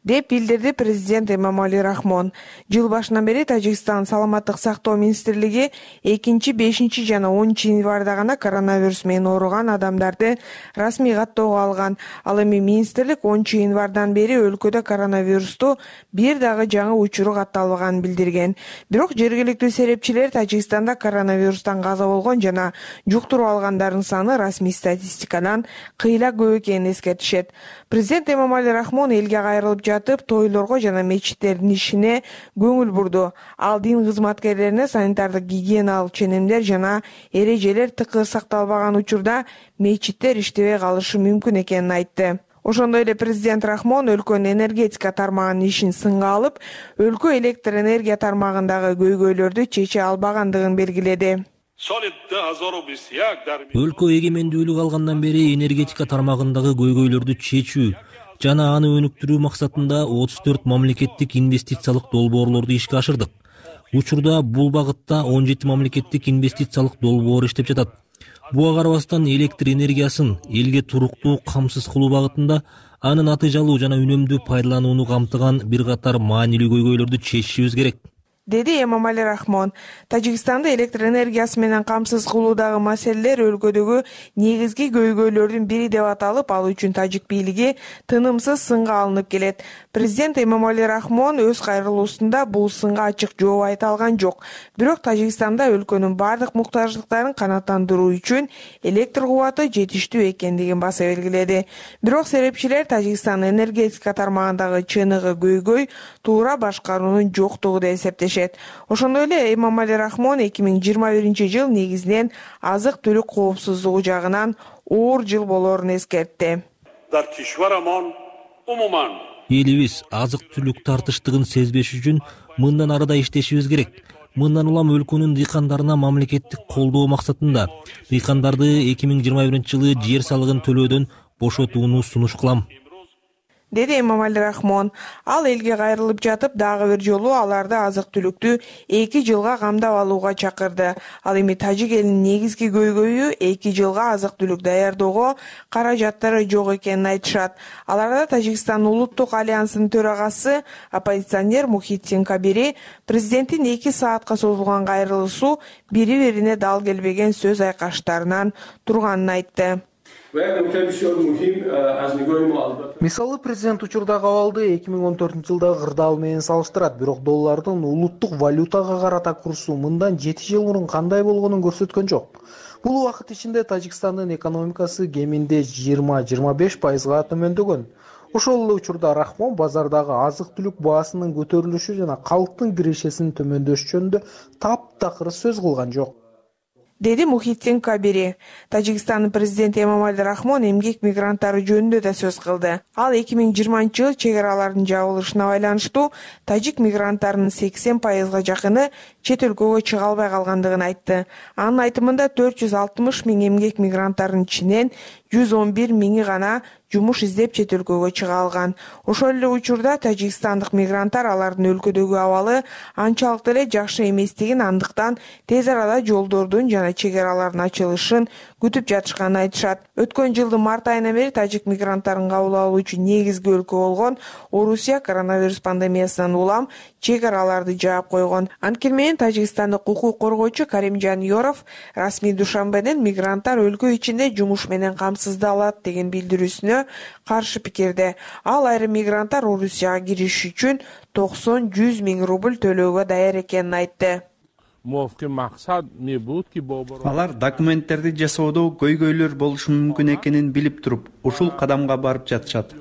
деп билдирди президент Эмомали Рахмон. Жыл башынан бери Тажикстан саламаттык сактоо министрлиги экинчи, бешинчи жана онунчу январда гана коронавирус менен ооруган адамдарды расмий каттоого алган. Ал эми министрлик онунчу январдан бери өлкөдө коронавирусту бир дагы жаңы учуру катталбаганын билдирген. Бирок жергиликтүү серепчилер Тажикстанда коронавирустан каза болгон жана жуктуруп алгандардын саны расмий статистикадан кыйла көп экенин эскертишет. Президент Эмомали Рахмон элге кайрылып жатып тойлорго жана мечиттердин ишине көңүл бурду. Ал дин кызматкерлерине санитардык гигиеналык ченемдер жана эрежелер тыкыр сакталбаган учурда мечиттер иштебей калышы мүмкүн экенин айтты. Ошондой эле президент Рахмон өлкөнүн энергетика тармагынын ишин сынга алып, өлкө электр энергия тармагындагы көйгөйлөрдү чече албагандыгын белгиледи. Өлкө эгемендүүлүк алгандан бери энергетика тармагындагы көйгөйлөрдү чечүү жана аны өнүктүрүү максатында отуз төрт мамлекеттик инвестициялык долбоорлорду ишке ашырдык. Учурда бул багытта он жети мамлекеттик инвестициялык долбоор иштеп жатат. Буга карабастан электр энергиясын элге туруктуу камсыз кылуу багытында анын натыйжалуу жана үнөмдүү пайдаланууну камтыган бир катар маанилүү көйгөйлөрдү чечишибиз керек, деди Эмомали Рахмон. Тажикстанды электр энергиясы менен камсыз кылуудагы маселелер өлкөдөгү негизги көйгөйлөрдүн бири деп аталып, ал үчүн тажик бийлиги тынымсыз сынга алынып келет. Президент Эмомали Рахмон өз кайрылуусунда бул сынга ачык жооп айта алган жок. Бирок Тажикстанда өлкөнүн бардык муктаждыктарын канааттандыруу үчүн электр кубаты жетиштүү экендигин баса белгиледи. Бирок серепчилер Тажикстан энергетика тармагындагы чыныгы көйгөй туура башкаруунун жоктугу деп эсептешет. Ошондой эле Эмомали Рахмон эки миң жыйырма биринчи жыл негизинен азык-түлүк коопсуздугу жагынан оор жыл болоорун эскертти. Элибиз азык-түлүк тартыштыгын сезбеш үчүн мындан арада иштешибиз керек. Мындан улам өлкөнүн дыйкандарына мамлекеттик колдоо максатында дыйкандарды эки миң жыйырма биринчи жылы жер салыгын төлөөдөн бошотууну сунуш кылам, деди Эмомали Рахмон. Ал элге кайрылып жатып дагы бир жолу аларды азык-түлүктү эки жылга камдап алууга чакырды. Ал эми тажик элинин негизги көйгөйү эки жылга азык-түлүк даярдоого каражаттары жок экенин айтышат. Аларда Тажикстан улуттук альянсынын төрагасы оппозиционер Мухитдин Кабири президенттин эки саатка созулган кайрылуусу бири-бирине дал келбеген сөз айкаштарынан турганын айтты. Мисалы, президент учурдагы абалды эки миң он төртүнчү жылдагы кырдаал менен салыштырат, бирок доллардын улуттук валютага карата курсу мындан жети жыл мурун кандай болгонун көрсөткөн жок. Бул убакыт ичинде Тажикстандын экономикасы кеминде жыйырма жыйырма беш пайызга төмөндөгөн. Ошол эле учурда Рахмон базардагы азык-түлүк баасынын көтөрүлүшү жана калктын кирешесинин төмөндөшү жөнүндө таптакыр сөз кылган жок, деди Мухитдин Кабири. Тажикстандын президенти Эмомали Рахмон эмгек мигранттары жөнүндө да сөз кылды. Ал эки миң жыйырманчы жыл чек аралардын жабылышына байланыштуу тажик мигранттарынын сексен пайызга жакыны чет өлкөгө чыга албай калгандыгын айтты. Анын айтымында төрт жүз алтымыш миң эмгек мигранттарынын ичинен жүз он бир миңи гана жумуш издеп чет өлкөгө чыга алган. Ошол эле учурда тажикстандык мигранттар алардын өлкөдөгү абалы анчалык деле жакшы эместигин, андыктан тез арада жолдордун жана чек аралардын ачылышын күтүп жатышканын айтышат. Өткөн жылдын март айынан бери тажик мигранттарын кабыл алуу үчүн негизги өлкө болгон Орусия коронавирус пандемиясынан улам чек араларды жаап койгон. Анткени менен тажикстандык укук коргоочу Каримжан Yorov расмий Душанбеден мигранттар өлкө ичинде жумуш менен камсыздалат деген билдирүүсүнө каршы пикирде. Ал айрым мигранттар Орусияга кириш үчүн токсон жүз миң рубль төлөөгө даяр экенин айтты. Алар документтерди жасоодо көйгөйлөр болушу мүмкүн экенин билип туруп, ушул кадамга барып жатышат.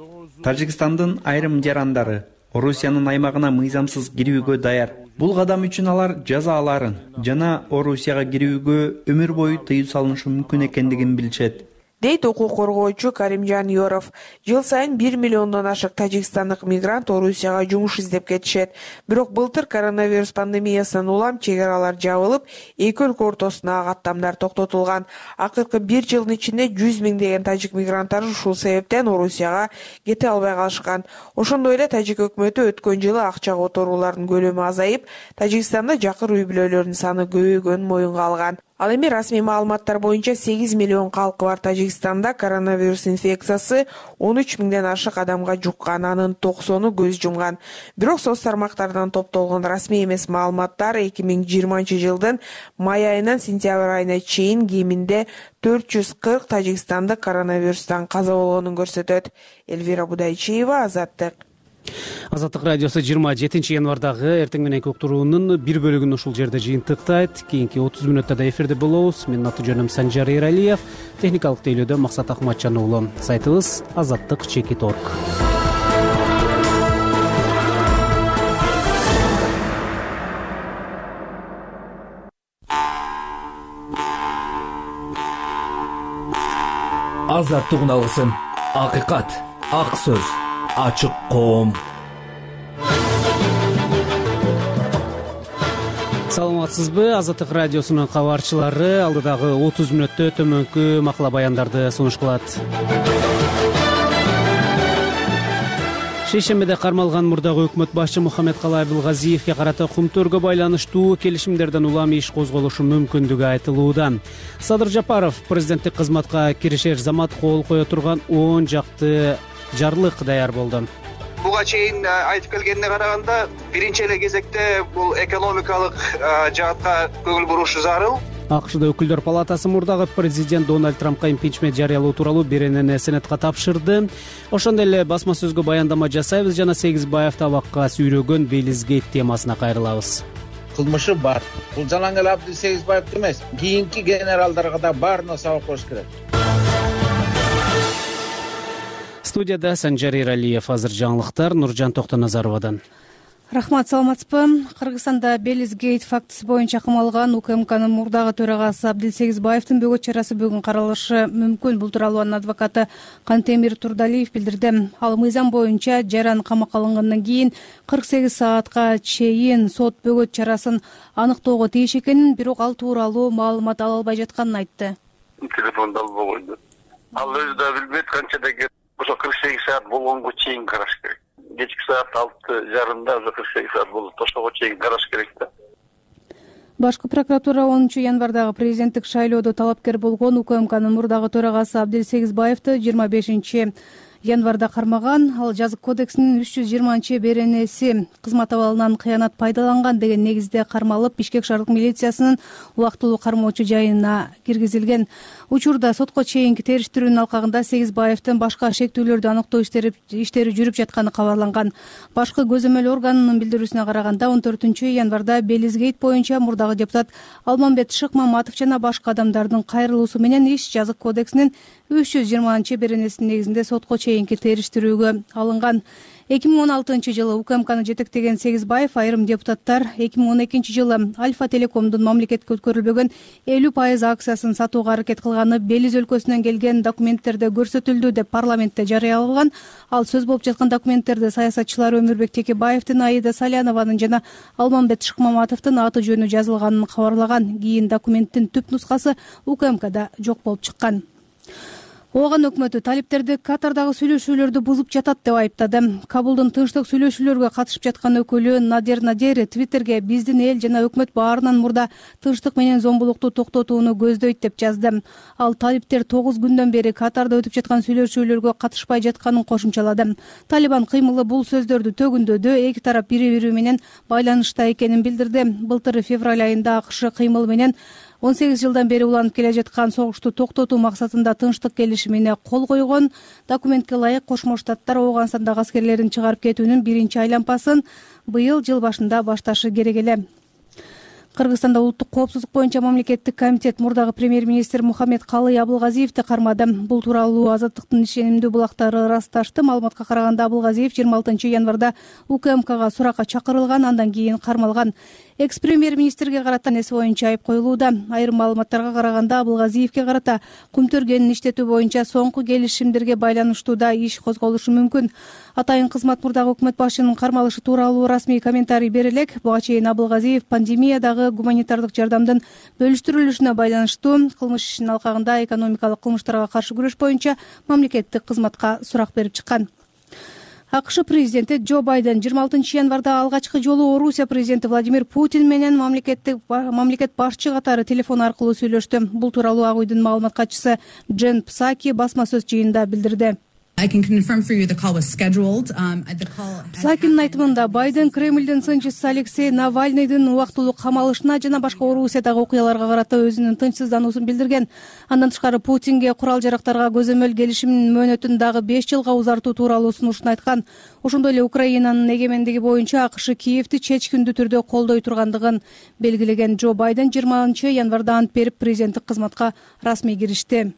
Тажикстандын айрым жарандары Орусиянын аймагына мыйзамсыз кирүүгө даяр. Бул кадам үчүн алар жазаларын жана Орусияга кирүүгө өмүр бою тыюу салынышы мүмкүн экендигин билишет, дейт укук коргоочу Каримжан Yorov. Жыл сайын бир миллиондон ашык тажикстандык мигрант Орусияга жумуш издеп кетишет. Бирок былтыр коронавирус пандемиясынан улам чек аралар жабылып, эки өлкө ортосундагы каттамдар токтотулган. Акыркы бир жылдын ичинде жүз миңдеген тажик мигранттар ушул себептен Орусияга кете албай калышкан. Ошондой эле тажик өкмөтү өткөн жылы акча которуулардын көлөмү азайып, Тажикстанда жакыр үй бүлөлөрдүн саны көбөйгөнүн моюнга алган. Ал эми расмий маалыматтар боюнча сегиз миллион калкы бар Тажикстанда коронавирус инфекциясы он үч миңден ашык адамга жуккан, анын токсону көз жумган. Бирок соц тармактардан топтолгон расмий эмес маалыматтар эки миң жыйырманчы жылдын май айынан сентябрь айына чейин кеминде төрт жүз кырк тажикстандык коронавирустан каза болгонун көрсөтөт. Элвира Будайчиева, Азаттык. Азаттык радиосу жыйырма жетинчи январдагы эртең мененки уктуруунун бир бөлүгүн ушул жерде жыйынтыктайт. Кийинки отуз мүнөттө да эфирде болобуз. Менин аты жөнүм Санжар Эралиев, техникалык тейлөөдө Максат Акматжан уулу. Сайтыбыз азаттык чекит точка орг. Азаттык алгысын, акыйкат, ак сөз, ачык коом. Саламатсызбы? Азаттык радиосунун кабарчылары алдыдагы отуз мүнөттө төмөнкү макала баяндарды сунуш кылат. Шейшембиде кармалган мурдагы өкмөт башчы Мухаммедкалый Абылгазиевге карата Кумтөргө байланыштуу келишимдерден улам иш козголушу мүмкүндүгү айтылууда. Садыр Жапаров президенттик кызматка киришер замат кол кое турган он жакты жарлык даяр болду. Буга чейин айтып келгенине караганда, биринчи эле кезекте бул экономикалык жаатка көңүл бурушу зарыл. АКШда өкүлдөр палатасы мурдагы президент Дональд Трампка импичмент жарыялоо тууралуу беренени Сенатка тапшырды. Ошондой эле басма сөзгө баяндама жасайбыз жана Сегизбаев табакка сүйрөгөн Белизгейт темасына кайрылабыз. Кылмышы бар. Бул Жалаңгел Абдил Сегизбаев эмес, кийинки генералдарга да баарына сабак бериш керек. Студияда Санжар Эралиев, азыр жаңылыктар Нуржан Токтоназаровадан. Рахмат, саламатсызбы? Кыргызстанда Белизгейт фактысы боюнча камалган УКМКнын мурдагы төрагасы Абдил Сегизбаевдин бөгөт чарасы бүгүн каралышы мүмкүн. Бул тууралуу анын адвокаты Кантемир Турдалиев билдирди. Ал мыйзам боюнча жаран камакка алынгандан кийин кырк сегиз саатка чейин сот бөгөт чарасын аныктоого тийиш экенин, бирок ал тууралуу маалымат ала албай жатканын айтты. Телефонду албай койду. Ал өзү да билбейт канчада кеп ошо кырк сегиз саат болгонго чейин караш керек. Кечки саат алты жарымда уже кырк сегиз саат болду. Ошого чейин караш керек да. Башкы прокуратура онунчу январдагы президенттик шайлоодо талапкер болгон УКМКнын мурдагы төрагасы Абдил Сегизбаевди жыйырма бешинчи январда кармаган. Ал жазык кодексинин үч жүз жыйырманчы беренеси кызмат абалынан кыянат пайдаланган деген негизде кармалып, Бишкек шаардык милициясынын убактылуу кармоочу жайына киргизилген. Учурда сотко чейинки териштирүүнүн алкагында Сегизбаевдин башка шектүүлөрдү аныктоо иштери иштери жүрүп жатканы кабарланган. Башкы көзөмөл органынын билдирүүсүнө караганда он төртүнчү январда Белизгейт боюнча мурдагы депутат Алмамбет Шыкмаматов жана башка адамдардын кайрылуусу менен иш жазык кодексинин үч жүз жыйырманчы беренесинин негизинде сотко чейинки териштирүүгө алынган. эки миң он алтынчы жылы УКМКны жетектеген Сегизбаев айрым депутаттар эки миң он экинчи жылы Альфа Телекомдун мамлекетке өткөрүлбөгөн элүү пайыз акциясын сатууга аракет кылганы Белиз өлкөсүнөн келген документтерде көрсөтүлдү деп парламентте жарыялаган. Ал сөз болуп жаткан документтерде саясатчылар Өмүрбек Текебаевдин, Аида Салянованын жана Алмамбет Шыкмаматовдун аты жөнү жазылганын кабарлаган. Кийин документтин түп нускасы УКМКда жок болуп чыккан. Ооган өкмөтү талиптерди Катардагы сүйлөшүүлөрдү бузуп жатат деп айыптады. Кабулдун тынчтык сүйлөшүүлөргө катышып жаткан өкүлү Надер Надери Твиттерге биздин эл жана өкмөт баарынан мурда тынчтык менен зомбулукту токтотууну көздөйт деп жазды. Ал талиптер тогуз күндөн бери Катарда өтүп жаткан сүйлөшүүлөргө катышпай жатканын кошумчалады. Талибан кыймылы бул сөздөрдү төгүндөдү, эки тарап бири-бири менен байланышта экенин билдирди. Былтыр февраль айында АКШ кыймыл менен он сегиз жылдан бери уланып келе жаткан согушту токтотуу максатында тынчтык келишимине кол койгон. Документке ылайык Кошмо Штаттар Ооганстандагы аскерлерин чыгарып кетүүнүн биринчи айлампасын быйыл жыл башында башташы керек эле. Кыргызстанда улуттук коопсуздук боюнча мамлекеттик комитет мурдагы премьер-министр Мухаммедкалый Абылгазиевди кармады. Бул тууралуу Азаттыктын ишенимдүү булактары ырасташты. Маалыматка караганда Абылгазиев жыйырма алтынчы январда УКМКга суракка чакырылган, андан кийин кармалган. Экс-премьер-министрге карата эси боюнча айып коюлууда. Айрым маалыматтарга караганда Абылгазиевге карата Кумтөргөнүн иштетүү боюнча соңку келишимдерге байланыштуу да иш козголушу мүмкүн. Атайын кызмат мурдагы өкмөт башчынын кармалышы тууралуу расмий комментарий бере элек. Буга чейин Абылгазиев пандемиядагы гуманитардык жардамдын бөлүштүрүлүшүнө байланыштуу кылмыш ишинин алкагында экономикалык кылмыштарга каршы күрөш боюнча мамлекеттик кызматка сурак берип чыккан. АКШ президенти Джо Байден жыйырма алтынчы январда алгачкы жолу Орусия президенти Владимир Путин менен мамлекеттик мамлекет башчы катары телефон аркылуу сүйлөштү. Бул тууралуу Ак үйдүн маалымат катчысы Джен Псаки басма сөз жыйынында билдирди. Псакинин айтымында Байден Кремлдин сынчысы Алексей Навальныйдын убактылуу камалышына жана башка Орусиядагы окуяларга карата өзүнүн тынчсыздануусун билдирген. Андан тышкары Путинге курал жарактарга көзөмөл келишимдин мөөнөтүн дагы беш жылга узартуу тууралуу сунушун айткан. Ошондой эле Украинанын эгемендиги боюнча АКШ Киевди чечкиндүү түрдө колдой тургандыгын белгилеген. Джо Байден жыйырманчы январда ант берип президенттик кызматка расмий киришти.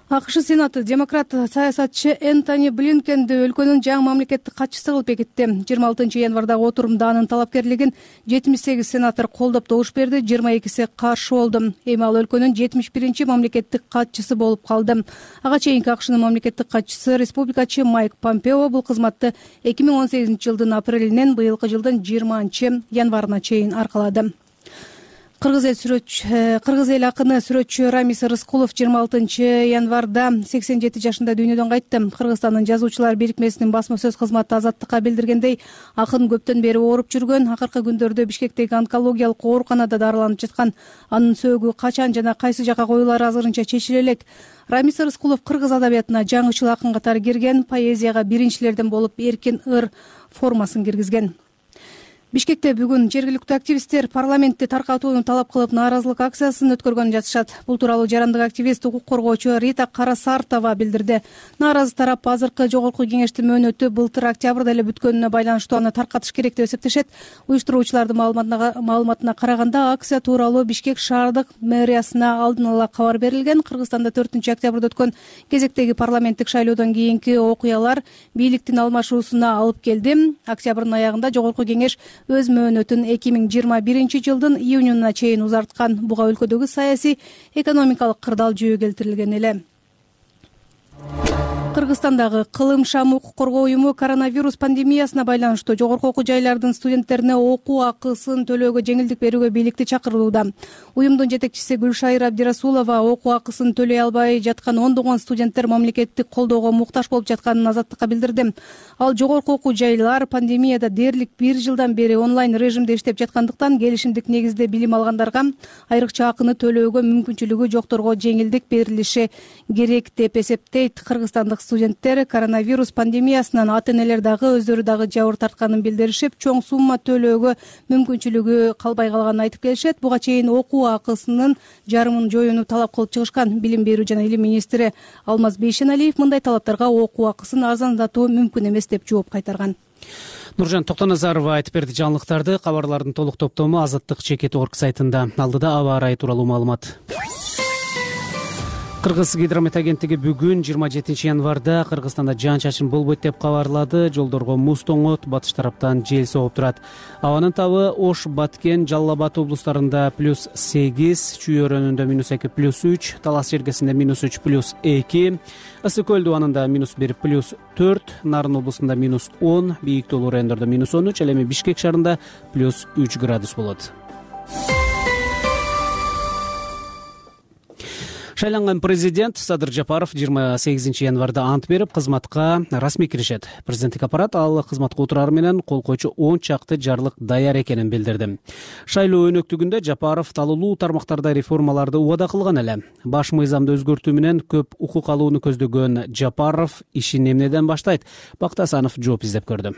АКШ Сенаты демократ саясатчы Энтони Блинкенди өлкөнүн жаңы мамлекеттик катчысы кылып бекитти. жыйырма алтынчы январдагы отурумда анын талапкерлигин жетимиш сегиз сенатор колдоп добуш берди, жыйырма экиси каршы болду. Эми ал өлкөнүн жетимиш биринчи мамлекеттик катчысы болуп калды. Ага чейинки АКШнын мамлекеттик катчысы республикачы Майк Помпео бул кызматты эки миң он сегизинчи жылдын апрелинен быйылкы жылдын жыйырманчы январына чейин аркалады. Кыргыз эл сүрөтчү Кыргыз эл акыны сүрөтчү Рамис Рыскулов жыйырма алтынчы январда сексен жети жашында дүйнөдөн кайтты. Кыргызстандын жазуучулар бирикмесинин басма сөз кызматы Азаттыкка билдиргендей, акын көптөн бери ооруп жүргөн, акыркы күндөрдө Бишкектеги онкологиялык ооруканада дарыланып жаткан. Анын сөөгү качан жана кайсы жака коюлары азырынча чечиле элек. Рамис Рыскулов кыргыз адабиятына жаңычыл акын катары кирген, поэзияга биринчилерден болуп эркин ыр формасын киргизген. Бишкекте бүгүн жергиликтүү активисттер парламентти таркатууну талап кылып нааразылык акциясын өткөргөнү жатышат. Бул тууралуу жарандык активист, укук коргоочу Рита Карасартова билдирди. Нааразы тарап азыркы жогорку кеңештин мөөнөтү былтыр октябрда эле бүткөнүнө байланыштуу аны таркатыш керек деп эсептешет. Уюштуруучулардын маалыматына караганда акция тууралуу Бишкек шаардык мэриясына алдын ала кабар берилген. Кыргызстанда төртүнчү октябрда өткөн кезектеги парламенттик шайлоодон кийинки окуялар бийликтин алмашуусуна алып келди. Октябрдын аягында жогорку кеңеш өз мөөнөтүн эки миң жыйырма биринчи жылдын июнуна чейин узарткан. Буга өлкөдөгү саясий экономикалык кырдаал жөө келтирилген эле. Кыргызстандагы Кылым Шам укук коргоо уюму коронавирус пандемиясына байланыштуу жогорку окуу жайлардын студенттерине окуу акысын төлөөгө жеңилдик берүүгө бийликти чакырууда. Уюмдун жетекчиси Гүлшайыр Абдирасулова окуу акысын төлөй албай жаткан ондогон студенттер мамлекеттик колдоого муктаж болуп жатканын Азаттыкка билдирди. Ал жогорку окуу жайлар пандемияда дээрлик бир жылдан бери онлайн режимде иштеп жаткандыктан келишимдик негизде билим алгандарга айрыкча акыны төлөөгө мүмкүнчүлүгү жокторго жеңилдик берилиши керек деп эсептейт. Кыргызстандык студенттер коронавирус пандемиясынан ата-энелер дагы өздөрү дагы жабыр тартканын билдиришип, чоң сумма төлөөгө мүмкүнчүлүгү калбай калганын айтып келишет. Буга чейин окуу акысынын жарымын жоюуну талап кылып чыгышкан. Билим берүү жана илим министри Алмаз Бейшеналиев мындай талаптарга окуу акысын арзандатуу мүмкүн эмес деп жооп кайтарган. Нуржан Токтоназарова айтып берди жаңылыктарды. Кабарлардын толук топтому Азаттык чекит орг сайтында. Алдыда аба ырайы тууралуу маалымат. Кыргыз гидромет агенттиги бүгүн жыйырма жетинчи январда Кыргызстанда жаан-чачын болбойт деп кабарлады. Жолдорго муз тоңот, батыш тараптан жел согуп турат. Абанын табы Ош, Баткен, Жалал Абад облустарында плюс сегиз, Чүй өрөөнүндө минус эки плюс үч, Талас жергесинде минус үч плюс эки, Ысык көл дубанында минус бир плюс төрт, Нарын облусунда минус он, бийик тоолуу райондордо минус он үч, ал эми Бишкек шаарында плюс үч градус болот. Шайланган президент Садыр Жапаров жыйырма сегизинчи январда ант берип, кызматка расмий киришет. Президенттик аппарат ал кызматка отурары менен кол койчу он чакты жарлык даяр экенин билдирди. Шайлоо өнөктүгүндө Жапаров талуулуу тармактарда реформаларды убада кылган эле. Баш мыйзамды өзгөртүү менен көп укук алууну көздөгөн Жапаров ишин эмнеден баштайт? Бактасанов жооп издеп көрдү.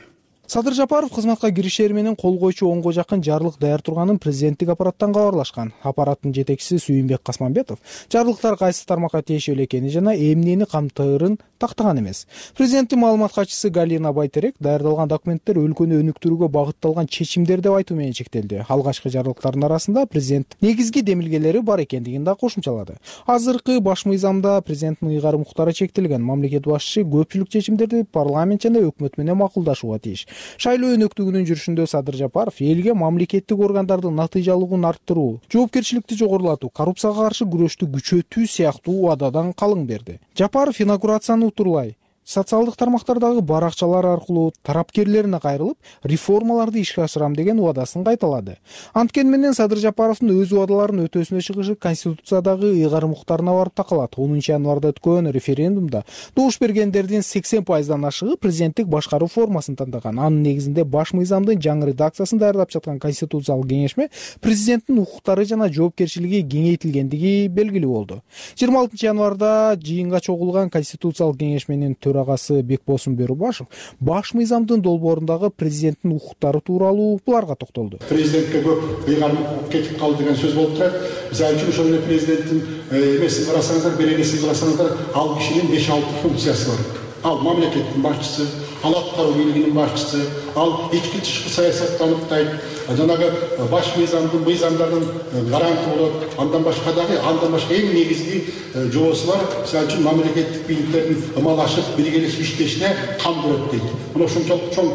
Садыр Жапаров кызматка киришери менен кол койчу онго жакын жарлык даяр турганын президенттик аппараттан кабарлашкан. Аппараттын жетекчиси Сүйүнбек Касманбетов жарлыктар кайсы тармакка тиешелүү экени жана эмнени камтыырын тактаган эмес. Президенттин маалымат катчысы Галина Байтерек даярдалган документтер өлкөнү өнүктүрүүгө багытталган чечимдер деп айтуу менен чектелди. Алгачкы жарлыктардын арасында президент негизги демилгелери бар экендигин да кошумчалады. Азыркы баш мыйзамда президенттин ыйгарым укуктары чектелген. Мамлекет башчысы көпчүлүк чечимдерди парламент жана өкмөт менен макулдашууга тийиш. Шайлоо өнөктүгүнүн жүрүшүндө Садыр Жапаров элге мамлекеттик органдардын натыйжалуулугун арттыруу, жоопкерчиликти жогорулатуу, коррупцияга каршы күрөштү күчөтүү сыяктуу убададан калың берди. Жапаров инаугурацияны утурлай социалдык тармактардагы баракчалар аркылуу тарапкерлерине кайрылып реформаларды ишке ашырам деген убадасын кайталады. Анткени менен Садыр Жапаровдун өз убадаларын өтөөсүнө чыгышы конституциядагы ыйгарым укуктарына барып такалат. онунчу январда өткөн референдумда добуш бергендердин сексен пайыздан ашыгы президенттик башкаруу формасын тандаган. Анын негизинде баш мыйзамдын жаңы редакциясын даярдап жаткан конституциялык кеңешме президенттин укуктары жана жоопкерчилиги кеңейтилгендиги белгилүү болду. жыйырма алтынчы январда жыйынга чогулган конституциялык кеңешменин төрагасы Бекбосун Бөрүбашев баш мыйзамдын долбоорундагы президенттин укуктары тууралуу буларга токтолду. Президентке көп ыйгарым кетип калды деген сөз болуп турат. Мисалы үчүн ошол эле президенттин эмесин карасаңыздар, беренесин карасаңыздар, ал кишинин беш алты функциясы бар. Ал мамлекеттин башчысы, ал аткаруу бийлигинин башчысы, ал ички тышкы саясатты аныктайт, жанагы баш мыйзамдын мыйзамдардын гаранты болот. Андан башка дагы, андан башка эң негизги жоосу бар. Мисалы үчүн мамлекеттик бийликтердин ымалашып биргелешип иштешине кам көрөт дейт. Мына ошончолук чоң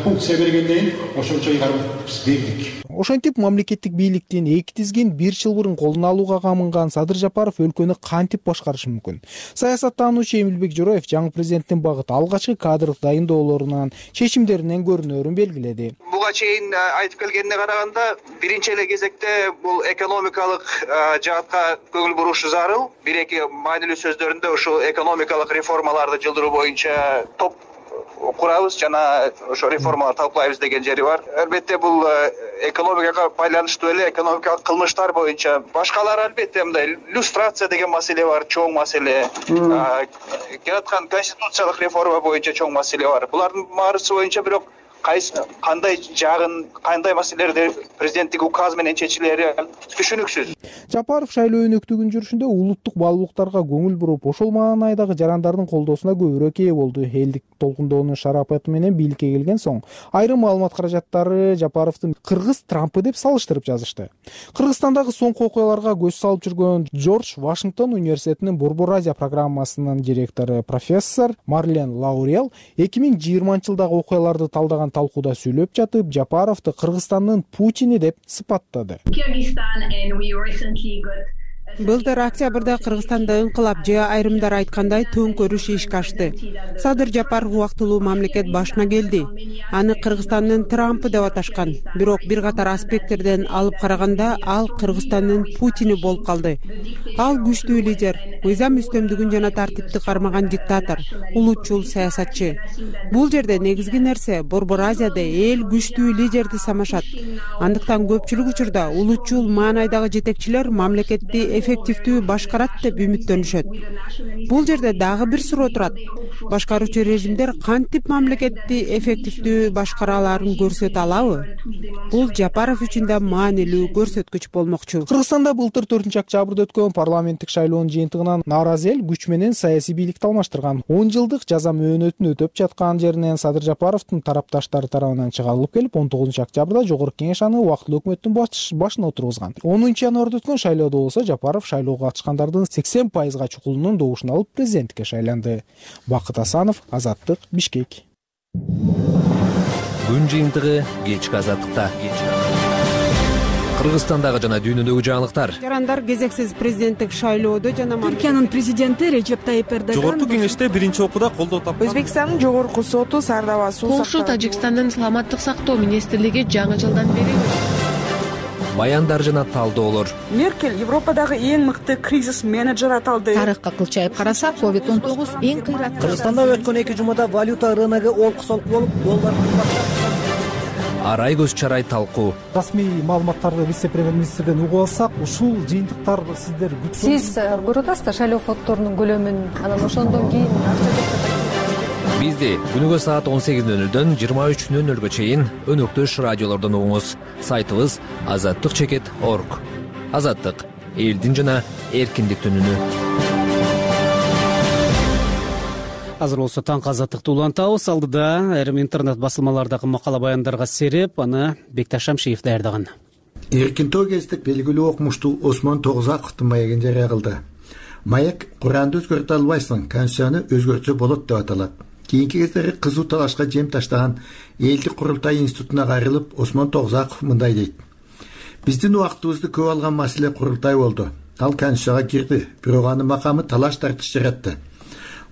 функция бергенден кийин ошончо ыйгарым бердик. Ошентип мамлекеттик бийликтин эки тизгин бир чылбырын колуна алууга камынган Садыр Жапаров өлкөнү кантип башкарышы мүмкүн? Саясаттануучу Эмилбек Жороев жаңы президенттин багыты алгачкы кадрлык дайындоолорунан, чечимдеринен көрүнөрүн белгиледи. Буга чейин айтып келгенине караганда, биринчи эле кезекте бул экономикалык жаатка көңүл бурушу зарыл. Бир-эки маанилүү сөздөрүндө ушул экономикалык реформаларды жылдыруу боюнча топ курабыз жана ошо реформаларды талкуулайбыз деген жери бар. Албетте бул экономикага байланыштуу эле экономикалык кылмыштар боюнча. Башкалар албетте мындай иллюстрация деген маселе бар, чоң маселе. Келаткан конституциялык реформа боюнча чоң маселе бар. Булардын баарысы боюнча бирок кайсы кандай жагын, кандай маселелерди президенттик указ менен чечилери түшүнүксүз. Жапаров шайлоо өнөктүгүн жүрүшүндө улуттук баалуулуктарга көңүл буруп, ошол маанайдагы жарандардын колдоосуна көбүрөөк ээ болду. Элдик толкундоонун шарапаты менен бийликке келген соң, айрым маалымат каражаттары Жапаровдун кыргыз Трампы деп салыштырып жазышты. Кыргызстандагы соңку окуяларга көз салып жүргөн Джордж Вашингтон университетинин Борбор Азия программасынын директору профессор Марлен Лаурел эки миң жыйырманчы жылдагы окуяларды талдаган талкууда сүйлөп жатып, Жапаровду Кыргызстандын Путини деп сыпаттады. Былтыр октябрда Кыргызстанда ыңкылап же айрымдар айткандай төңкөрүш ишке ашты. Садыр Жапаров убактылуу мамлекет башына келди. Аны Кыргызстандын Трампы деп аташкан. Бирок бир катар аспекттерден алып караганда ал Кыргызстандын Путини болуп калды. Ал күчтүү лидер, мыйзам үстөмдүгүн жана тартипти кармаган диктатор, улутчул саясатчы. Бул жерде негизги нерсе Борбор Азияда эл күчтүү лидерди самашат. Андыктан көпчүлүк учурда улутчул маанайдагы жетекчилер мамлекетти эффективдүү башкарат деп үмүттөнүшөт. Бул жерде дагы бир суроо турат. Башкаруучу режимдер кантип мамлекетти эффективдүү башкара аларын көрсөтө алабы? Бул Жапаров үчүн да маанилүү көрсөткүч болмокчу. Кыргызстанда былтыр төртүнчү октябрда өткөн парламенттик шайлоонун жыйынтыгынан нааразы эл күч менен саясий бийликти алмаштырган. он жылдык жаза мөөнөтүн өтөп жаткан жеринен Садыр Жапаровдун тарапташтары тарабынан чыгарылып келип, он тогузунчу октябрда жогорку кеңеш аны убактылуу өкмөттүн башына отургузган. онунчу январда өткөн шайлоодо болсо Жапаров шайлоого катышкандардын сексен пайызга чукулунун добушун алып президенттикке шайланды. Бакыт Асанов, Азаттык, Бишкек. Күн жыйынтыгы кечки Азаттыкта. Кыргызстандагы жана дүйнөдөгү жаңылыктар. Жарандар кезексиз президенттик шайлоодо жана Түркиянын президенти Режеп Тайип Эрдоган жогорку кеңеште биринчи окууда колдоо тапкан. Өзбекстандын жогорку соту Сардаба суу Полша Тажикстандын саламаттык сактоо министрлиги жаңы жылдан бери Баяндар жана талдоолор. Меркель Европадагы эң мыкты кризис менеджер аталды. Тарыхка кылчайып караса, ковид он тогуз эң кыйраттуу. Кыргызстанда өткөн эки жумада валюта рыногу олку-солку болуп, доллар Арай көз чарай талкуу. Расмий маалыматтарды вице-премьер-министрден угуп алсак, ушул жыйынтыктар сиздер күтүп Сиз көрүп атасызбы шайлоо фонддорунун көлөмүн, анан ошондон кийин Бизди күнүгө саат он сегиз нөл нөлдөн жыйырма үч нөл нөлгө чейин өнөктөш радиолордон угуңуз. Сайтыбыз азаттык чекит точка орг. Азаттык — элдин жана эркиндиктин үнү. Азыр болсо таңкы азаттыкты улантабыз. Алдыда айрым интернет басылмалардагы макала баяндарга сереп, аны Бекташ Шамшиев даярдаган. Эркинтоо гезитте белгилүү окумуштуу Осмон Тогузаковдун маегин жарыя кылды. Маек Куранды өзгөртө албайсың, Конституцияны өзгөртсө болот деп аталат. Кийинки кездери кызуу талашка жем таштаган Элдик курултай институтуна кайрылып, Осмон Тогузаков мындай дейт. Биздин убактыбызды көп алган маселе курултай болду. Ал Конституцияга кирди, бирок анын макамы талаш тартыш жаратты.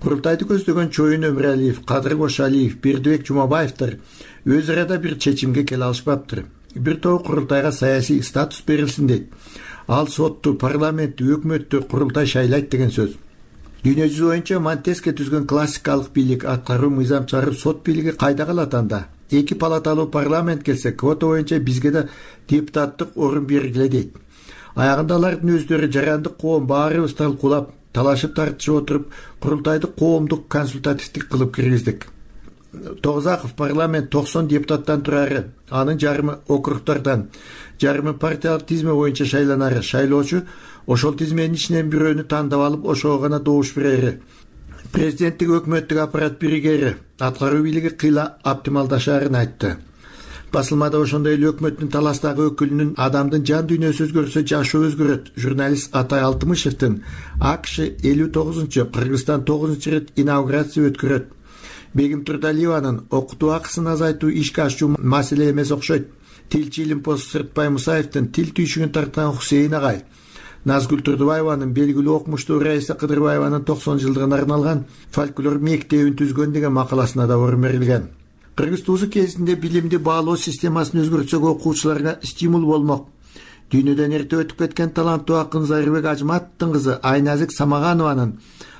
курултайды көздөгөн чоюн өмүралиев, Кадыр Кошалиев, Бердибек Жумабаевдер өз арада бир чечимге келе алышпаптыр. Бир топ курултайга саясий статус берилсин дейт. Ал сотту, парламентти, өкмөттү курултай шайлайт деген сөз. Дүйнө жүзү боюнча Монтеске түзгөн классикалык бийлик аткаруу мыйзам чыгарып сот бийлиги кайда калат анда? Эки палаталуу парламент келсе, квота боюнча бизге да депутаттык орун бергиле дейт. Аягында алардын өздөрү жарандык коом баарыбыз талкуулап, талашып тартышып отуруп, курултайды коомдук консультативдик кылып киргиздик. Тогузаков парламент токсон депутаттан турары, анын жарымы округдардан, жарымы партиялык тизме боюнча шайланары, шайлоочу ошол тизменин ичинен бирөөнү тандап алып, ошого гана добуш берери. Президенттик өкмөттүк аппарат биригери, аткаруу бийлиги кыйла оптималдашаарын айтты. Басылмада ошондой эле өкмөттүн таластагы өкүлүнүн адамдын жан дүйнөсү өзгөрсө жашоо өзгөрөт. Журналист Атай Алтымышевдин АКШ элүү тогузунчу, Кыргызстан тогузунчу ирет инаугурация өткөрөт. Бегим Турдалиеванын окутуу акысын азайтуу ишке ашуу маселе эмес окшойт. Тилчи Илимпоз Сыртбай Мусаевдин тил түйшүгүн тарткан Хусейин агай, Назгүл Турдубаеванын белгилүү окумуштуу Раиса Кыдырбаеванын токсон жылдыгына арналган фольклор мектебин түзгөн деген макаласына да орун берилген. Кыргыз туузу кезинде билимди баалоо системасын өзгөртсөк окуучуларга стимул болмок. Дүйнөдөн эрте өтүп кеткен таланттуу акын Зайырбек Ажматовдун кызы Айназик Самаганованын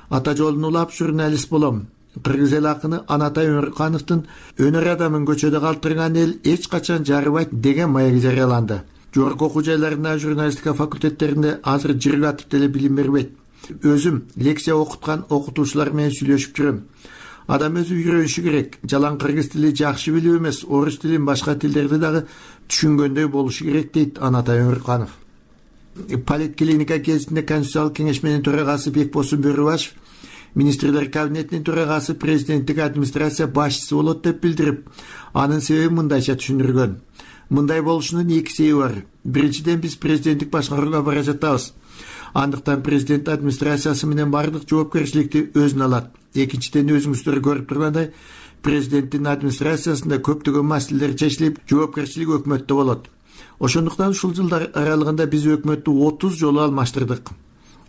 ата жолун улап журналист болом. Кыргыз эл акыны Анатай Өмүркановдун өнөр адамын көчөдө калтырган эл эч качан жарыбайт деген маеги жарыяланды. Жогорку окуу жайларында журналистика факультеттеринде азыр жыргатып деле билим бербейт. Өзүм лекция окуткан окутуучулар менен сүйлөшүп жүрөм. Адам өзү үйрөнүшү керек. Жалаң кыргыз тили жакшы билип эмес, орус тилин, башка тилдерди дагы түшүнгөндөй болушу керек дейт Анатай Өмүрканов. Политклиника кезинде Конституциялык кеңеш менен төрагасы Бекбосун Бөрүбашев министрлер кабинетинин төрагасы президенттик администрация башчысы болот деп билдирип, анын себебин мындайча түшүндүргөн. Мындай болушунун эки себеби бар. Биринчиден, биз президенттик башкарууга бара жатабыз. Андыктан президент администрациясы менен бардык жоопкерчиликти өзүнө алат. Экинчиден, өзүңүздөр көрүп тургандай, президенттин администрациясында көптөгөн маселелер чечилип, жоопкерчилик өкмөттө болот. Ошондуктан ушул жылдар аралыгында биз өкмөттү отуз жолу алмаштырдык.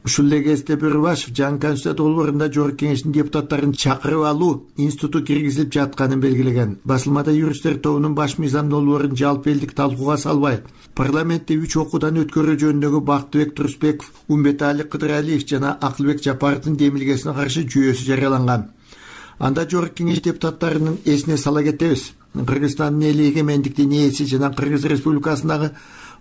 Ушул эле кезде Бөрүбашев жаңы конституция долбоорунда жогорку кеңештин депутаттарын чакырып алуу институту киргизилип жатканын белгилеген. Басылмада юристтер тобунун баш мыйзам долбоорун жалпы элдик талкууга салбай, парламентте үч окуудан өткөрүү жөнүндөгү Бактыбек Турсбеков, Умбетали Кыдыралиев жана Акылбек Жапаровдун демилгесине каршы жүйөсү жарыяланган. Анда жогорку кеңеш депутаттарынын эсине сала кетебиз. Кыргызстандын эли эгемендиктин ээси жана Кыргыз Республикасындагы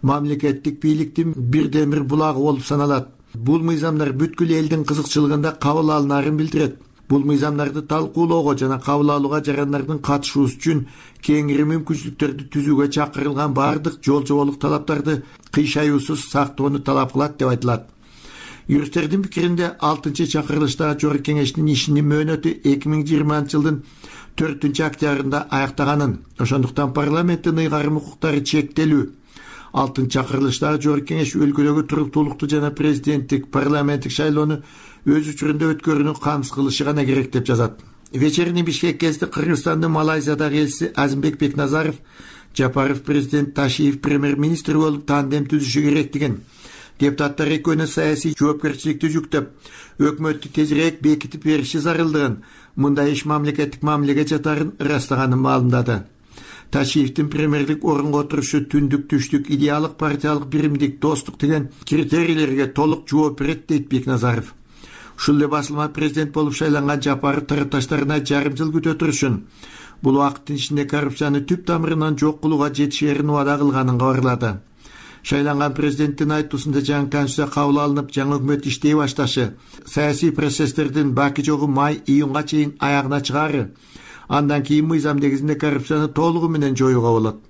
мамлекеттик бийликтин бирден бир булагы болуп саналат. Бул мыйзамдар бүткүл элдин кызыкчылыгында кабыл алынаарын билдирет. Бул мыйзамдарды талкуулоого жана кабыл алууга жарандардын катышуусу үчүн кеңири мүмкүнчүлүктөрдү түзүүгө чакырылган бардык жол жоболук талаптарды кыйшаюусуз сактоону талап кылат деп айтылат. Юристтердин пикиринде алтынчы чакырылыштагы жогорку кеңештин ишинин мөөнөтү эки миң жыйырманчы жылдын төртүнчү октябрында аяктаганын, ошондуктан парламенттин ыйгарым укуктары чектелүү. Алтынчы чакырылыштагы жогорку кеңеш өлкөдөгү туруктуулукту жана президенттик, парламенттик шайлоону өз учурунда өткөрүүнү камсыз кылышы гана керек деп жазат. Вечерний Бишкек кезинде Кыргызстандын Малайзиядагы элчиси Азимбек Бекназаров, Жапаров президент, Ташиев премьер-министр болуп тандем түзүшү керектигин, депутаттар экөөнө саясий жоопкерчиликти жүктөп, өкмөттү тезирээк бекитип бериши зарылдыгын, мындай иш мамлекеттик мамилеге жатарын ырастаганын маалымдады. Ташиевдин премьерлик орунга отурушу түндүк түштүк идеалык партиялык биримдик достук деген критерийлерге толук жооп берет дейт Бекназаров. Ушул эле басылма президент болуп шайланган Жапаров тарапташтарына жарым жыл күтө турушун, бул убакыттын ичинде коррупцияны түп тамырынан жок кылууга жетишерин убада кылганын кабарлады. Шайланган президенттин айтуусунда жаңы конституция кабыл алынып, жаңы өкмөт иштей башташы, саясий процесстердин баки жогу май-июнга чейин аягына чыгаары, андан кийин мыйзам негизинде коррупцияны толугу менен жоюуга болот.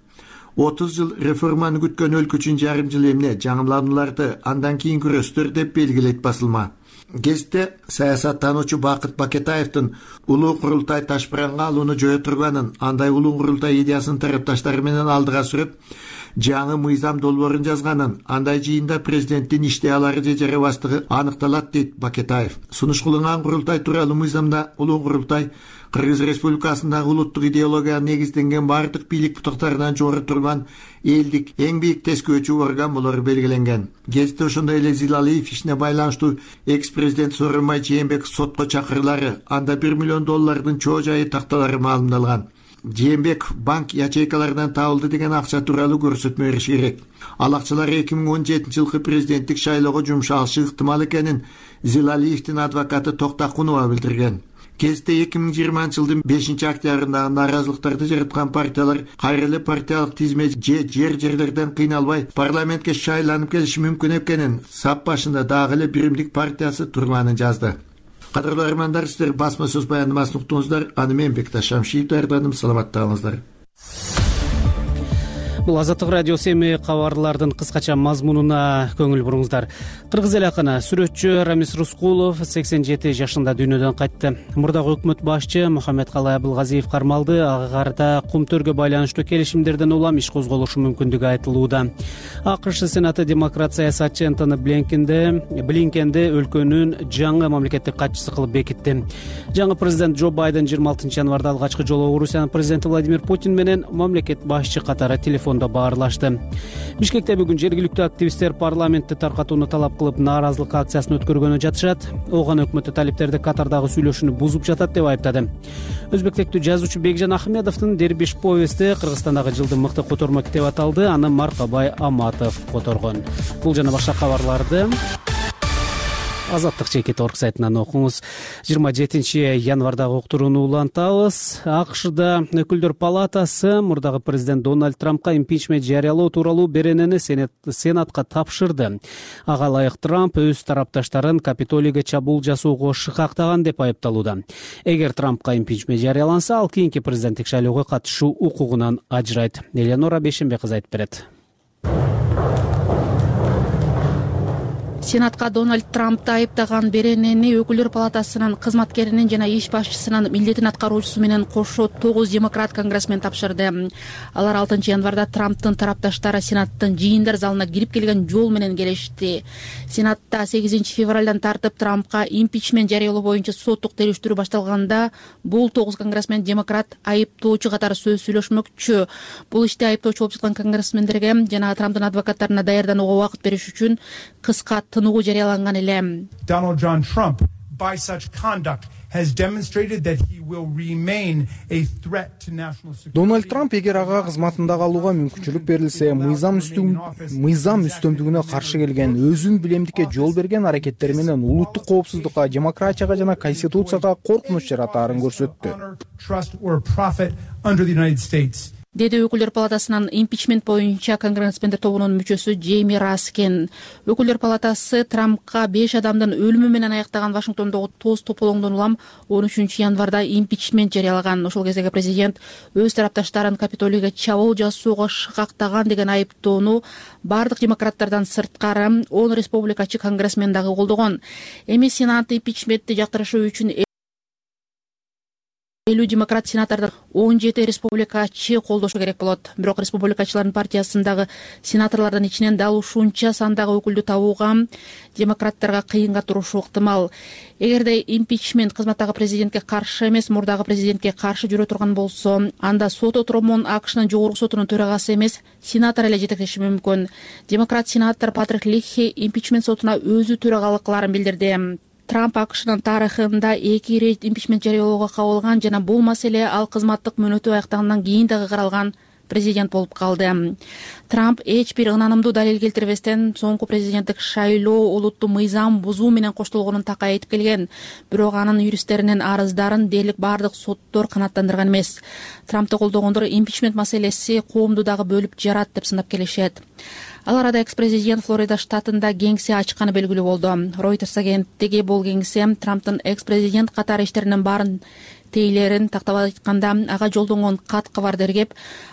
отуз жыл реформаны күткөн өлкө үчүн жарым жыл эмне, жаңыланууларды андан кийин күрөстөр деп белгилейт басылма. Гезитте саясаттануучу Бакыт Бакетаевдин улуу курултай ташпыранга алууну жое турганын, андай улуу курултай идеясын тарапташтары менен алдыга сүрүп, жаңы мыйзам долбоорун жазганын, андай жыйында президенттин иштей алары же жарабастыгы аныкталат дейт Бакетаев. Сунуш кылынган курултай тууралуу мыйзамда улуу курултай Кыргыз Республикасындагы улуттук идеологияга негизденген бардык бийлик бутактарынан жогору турган элдик эң бийик тескөөчү орган болору белгиленген. Гезитте ошондой эле Зилалиев ишине байланыштуу экс-президент Сооронбай Жээнбеков сотко чакырылары, анда бир миллион доллардын чоо жайы такталары маалымдалган. Жээнбеков банк ячейкаларынан табылды деген акча тууралуу көрсөтмө бериши керек. Ал акчалар эки миң он жетинчи жылкы президенттик шайлоого жумшалышы ыктымал экенин Зилалиевдин адвокаты Токтакунова билдирген. Гезитте эки миң жыйырманчы жылдын бешинчи октябрындагы нааразылыктарды жараткан партиялар кайра эле партиялык тизме же жер жерлерден кыйналбай парламентке шайланып келиши мүмкүн экенин сап башында дагы эле Биримдик партиясы турганын жазды. Кадырлуу армандар, сиздер басма сөз баяндамасын уктуңуздар. Аны мен Бекташ Шамшиев даярдадым. Саламаттаңыздар. Бул Азаттык радиосу эми кабарлардын кыскача мазмунуна көңүл буруңуздар. Кыргыз эл акыны сүрөтчү Рамис Рускулов сексен жети жашында дүйнөдөн кайтты. Мурдагы өкмөт башчы Мухаммедкалай Абылгазиев кармалды. Ага карата Кумтөргө байланыштуу келишимдерден улам иш козголушу мүмкүндүгү айтылууда. АКШ Сенаты демократ саясатчы Энтони Блинкенди өлкөнүн жаңы мамлекеттик катчысы кылып бекитти. Жаңы президент Джо Байден жыйырма алтынчы январда алгачкы жолу Орусиянын президенти Владимир Путин менен мамлекет башчы катары телефон баарлашты. Бишкекте бүгүн жергиликтүү активисттер парламентти таркатууну талап кылып нааразылык акциясын өткөргөнү жатышат. Оган өкмөтү талиптерди Катардагы сүйлөшүүнү бузуп жатат деп айыптады. Өзбектектүү жазуучу Бекжан Ахмедовдун Дербиш повести Кыргызстандагы жылдын мыкты котормо китеби аталды. Аны Маркабай Аматов которгон. Бул жана башка кабарларды Азаттык чекит орг сайтынан окуңуз. жыйырма жетинчи январдагы уктурууну улантабыз. АКШда өкүлдөр палатасы мурдагы президент Дональд Трампка импичмент жарыялоо тууралуу беренени Сенатка тапшырды. Ага ылайык Трамп өз тарапташтарын Капитолийге чабуул жасоого шыкактаган деп айыпталууда. Эгер Трампка импичмент жарыяланса, ал кийинки президенттик шайлоого катышуу укугунан ажырайт. Элеонора Бешенбек кызы айтып берет. Сенатка Дональд Трампты айыптаган беренени өкүлдөр палатасынын кызматкеринин жана иш башчысынын милдетин аткаруучусу менен кошо тогуз демократ конгрессмен тапшырды. Алар алтынчы январда Трамптын тарапташтары Сенаттын жыйындар залына кирип келген жол менен келишти. Сенатта сегизинчи февралдан тартып Трампка импичмент жарыялоо боюнча соттук териштирүү башталганда бул тогуз конгрессмен демократ айыптоочу катары сөз сүйлөшмөкчү. Бул иште айыптоочу болуп жаткан конгрессмендерге жана Трамптын адвокаттарына даярданууга убакыт бериш үчүн кыска тынугу жарыяланган эле. Donald John Trump, by such conduct, has demonstrated that he will remain a threat to national security. Дональд Трамп эгер ага кызматында калууга мүмкүнчүлүк берилсе, мыйзам мыйзам үстөмдүгүнө каршы келген, өзүн билемдикке жол берген аракеттери менен улуттук коопсуздукка, демократияга жана конституцияга коркунуч жаратаарын көрсөттү. Деди өкүлдөр палатасынын импичмент боюнча конгрессмендер тобунун мүчөсү Джейми Раскен. Өкүлдөр палатасы Трампка беш адамдын өлүмү менен аяктаган Вашингтондогу тоз тополоңдон улам он үчүнчү январда импичмент жарыялаган. Ошол кездеги президент өз тарапташтарын Капитолийге чабуул жасоого шыкактаган деген айыптоону бардык демократтардан сырткары он республикачы конгрессмен дагы колдогон. Эми Сенат импичментти жактырышы үчүн элүү демократ сенатордон он жети республикачы колдошу керек болот. Бирок республикачылардын партиясындагы сенаторлордун ичинен дал ушунча сандагы өкүлдү табууга демократтарга кыйынга турушу ыктымал. Эгерде импичмент кызматтагы президентке каршы эмес, мурдагы президентке каршы жүрө турган болсо, анда сот отуромун АКШнын жогорку сотунун төрагасы эмес, сенатор эле жетектеши мүмкүн. Демократ сенатор Патрик Лихи импичмент сотуна өзү төрагалык кыларын билдирди. Трамп АКШнын тарыхында эки ирет импичмент жарыялоого кабылган жана бул маселе ал кызматтык мөөнөтү аяктагандан кийин дагы каралган президент болуп калды. Трамп эч бир ынанымдуу далил келтирбестен соңку президенттик шайлоо улуттуу мыйзам бузуу менен коштолгонун такай айтып келген. Бирок анын юристтеринин арыздарын дээрлик бардык соттор канааттандырган эмес. Трампты колдогондор импичмент маселеси коомду дагы бөлүп жарат деп сынап келишет. Ал арада экс-президент Флорида штатында кеңсе ачканы белгилүү болду. Reuters агенттиги бул кеңсе Трамптын экс-президент катары иштеринин баарын тейлерин тактап айтканда ага жолдонгон кат кабардергеп,